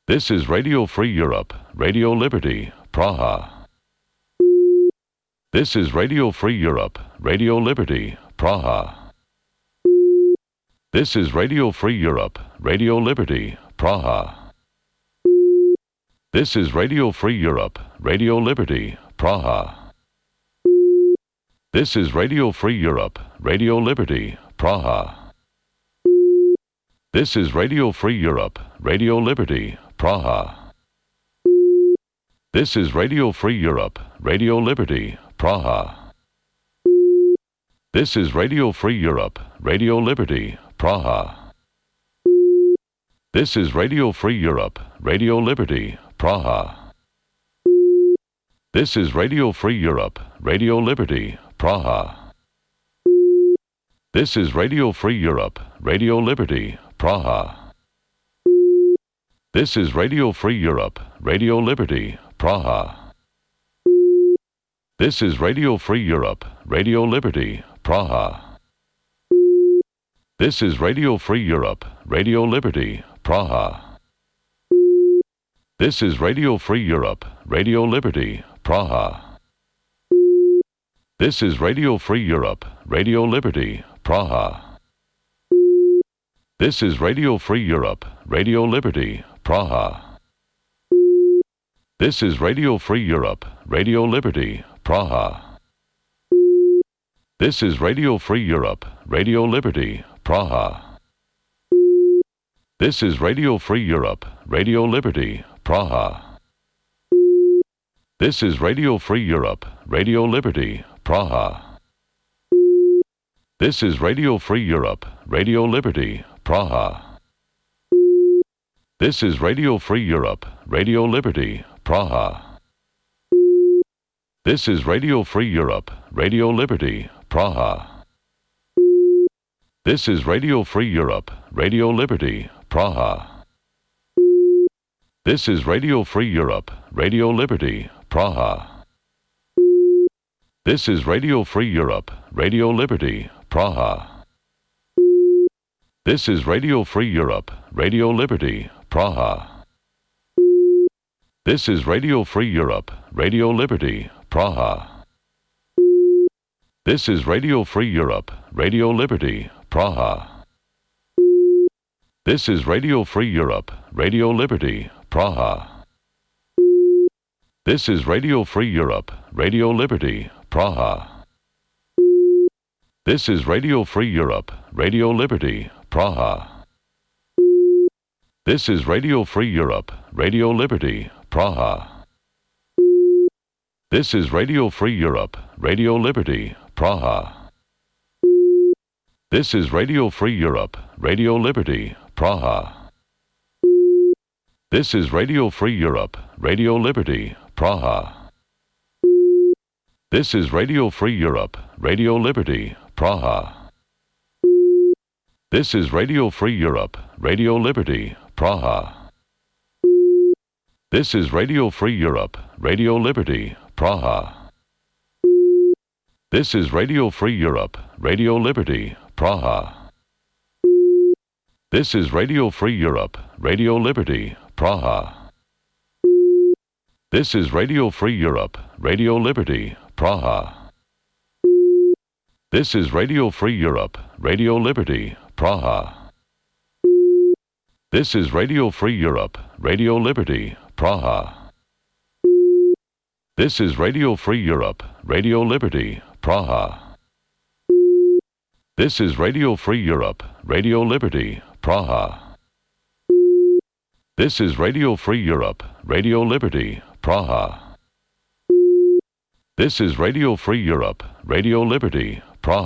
This is Radio Free Europe, Radio Liberty, Praha. This is Radio Free Europe, Radio Liberty, Praha. This is Radio Free Europe, Radio Liberty, Praha. This is Radio Free Europe, Radio Liberty, Praha. This is Radio Free Europe, Radio Liberty, Praha. This is Radio Free Europe, Radio Liberty, Praha. This is Radio Free Europe, Radio Liberty, Praha. This is Radio Free Europe, Radio Liberty, Praha. This is Radio Free Europe, Radio Liberty, Praha. This is Radio Free Europe, Radio Liberty, Praha. This is Radio Free Europe, Radio Liberty, Praha. This is Radio Free Europe, Radio Liberty, Praha. This is Radio Free Europe, Radio Liberty, Praha. This is Radio Free Europe, Radio Liberty, Praha. This is Radio Free Europe, Radio Liberty, Praha. This is Radio Free Europe, Radio Liberty, Praha. This is Radio Free Europe, Radio Liberty, Praha. This is Radio Free Europe, Radio Liberty, Praha. This is Radio Free Europe, Radio Liberty, Praha. This is Radio Free Europe, Radio Liberty, Praha. This is Radio Free Europe, Radio Liberty, Praha. This is Radio Free Europe, Radio Liberty, Praha. This is Radio Free Europe, Radio Liberty, Praha. This is Radio Free Europe, Radio Liberty, Praha. This is Radio Free Europe, Radio Liberty, Praha. This is Radio Free Europe, Radio Liberty, Praha. This is Radio Free Europe, Radio Liberty, Praha. This is Radio Free Europe, Radio Liberty, Praha. This is Radio Free Europe, Radio Liberty, Praha. This is Radio Free Europe, Radio Liberty, Praha. This is Radio Free Europe, Radio Liberty, Praha. This is Radio Free Europe, Radio Liberty, Praha. This is Radio Free Europe, Radio Liberty, Praha. This is Radio Free Europe, Radio Liberty, Praha. This is Radio Free Europe, Radio Liberty, Praha. This is Radio Free Europe, Radio Liberty, Praha. This is Radio Free Europe, Radio Liberty, Praha. This is Radio Free Europe, Radio Liberty, Praha. This is Radio Free Europe, Radio Liberty, Praha. This is Radio Free Europe, Radio Liberty, Praha. This is Radio Free Europe, Radio Liberty, Praha. This is Radio Free Europe, Radio Liberty, Praha. This is Radio Free Europe, Radio Liberty, Praha. This is Radio Free Europe, Radio Liberty, Praha. This is Radio Free Europe, Radio Liberty, Praha. This is Radio Free Europe, Radio Liberty, Praha. This is Radio Free Europe, Radio Liberty, Praha. This is Radio Free Europe, Radio Liberty, Praha. This is Radio Free Europe, Radio Liberty,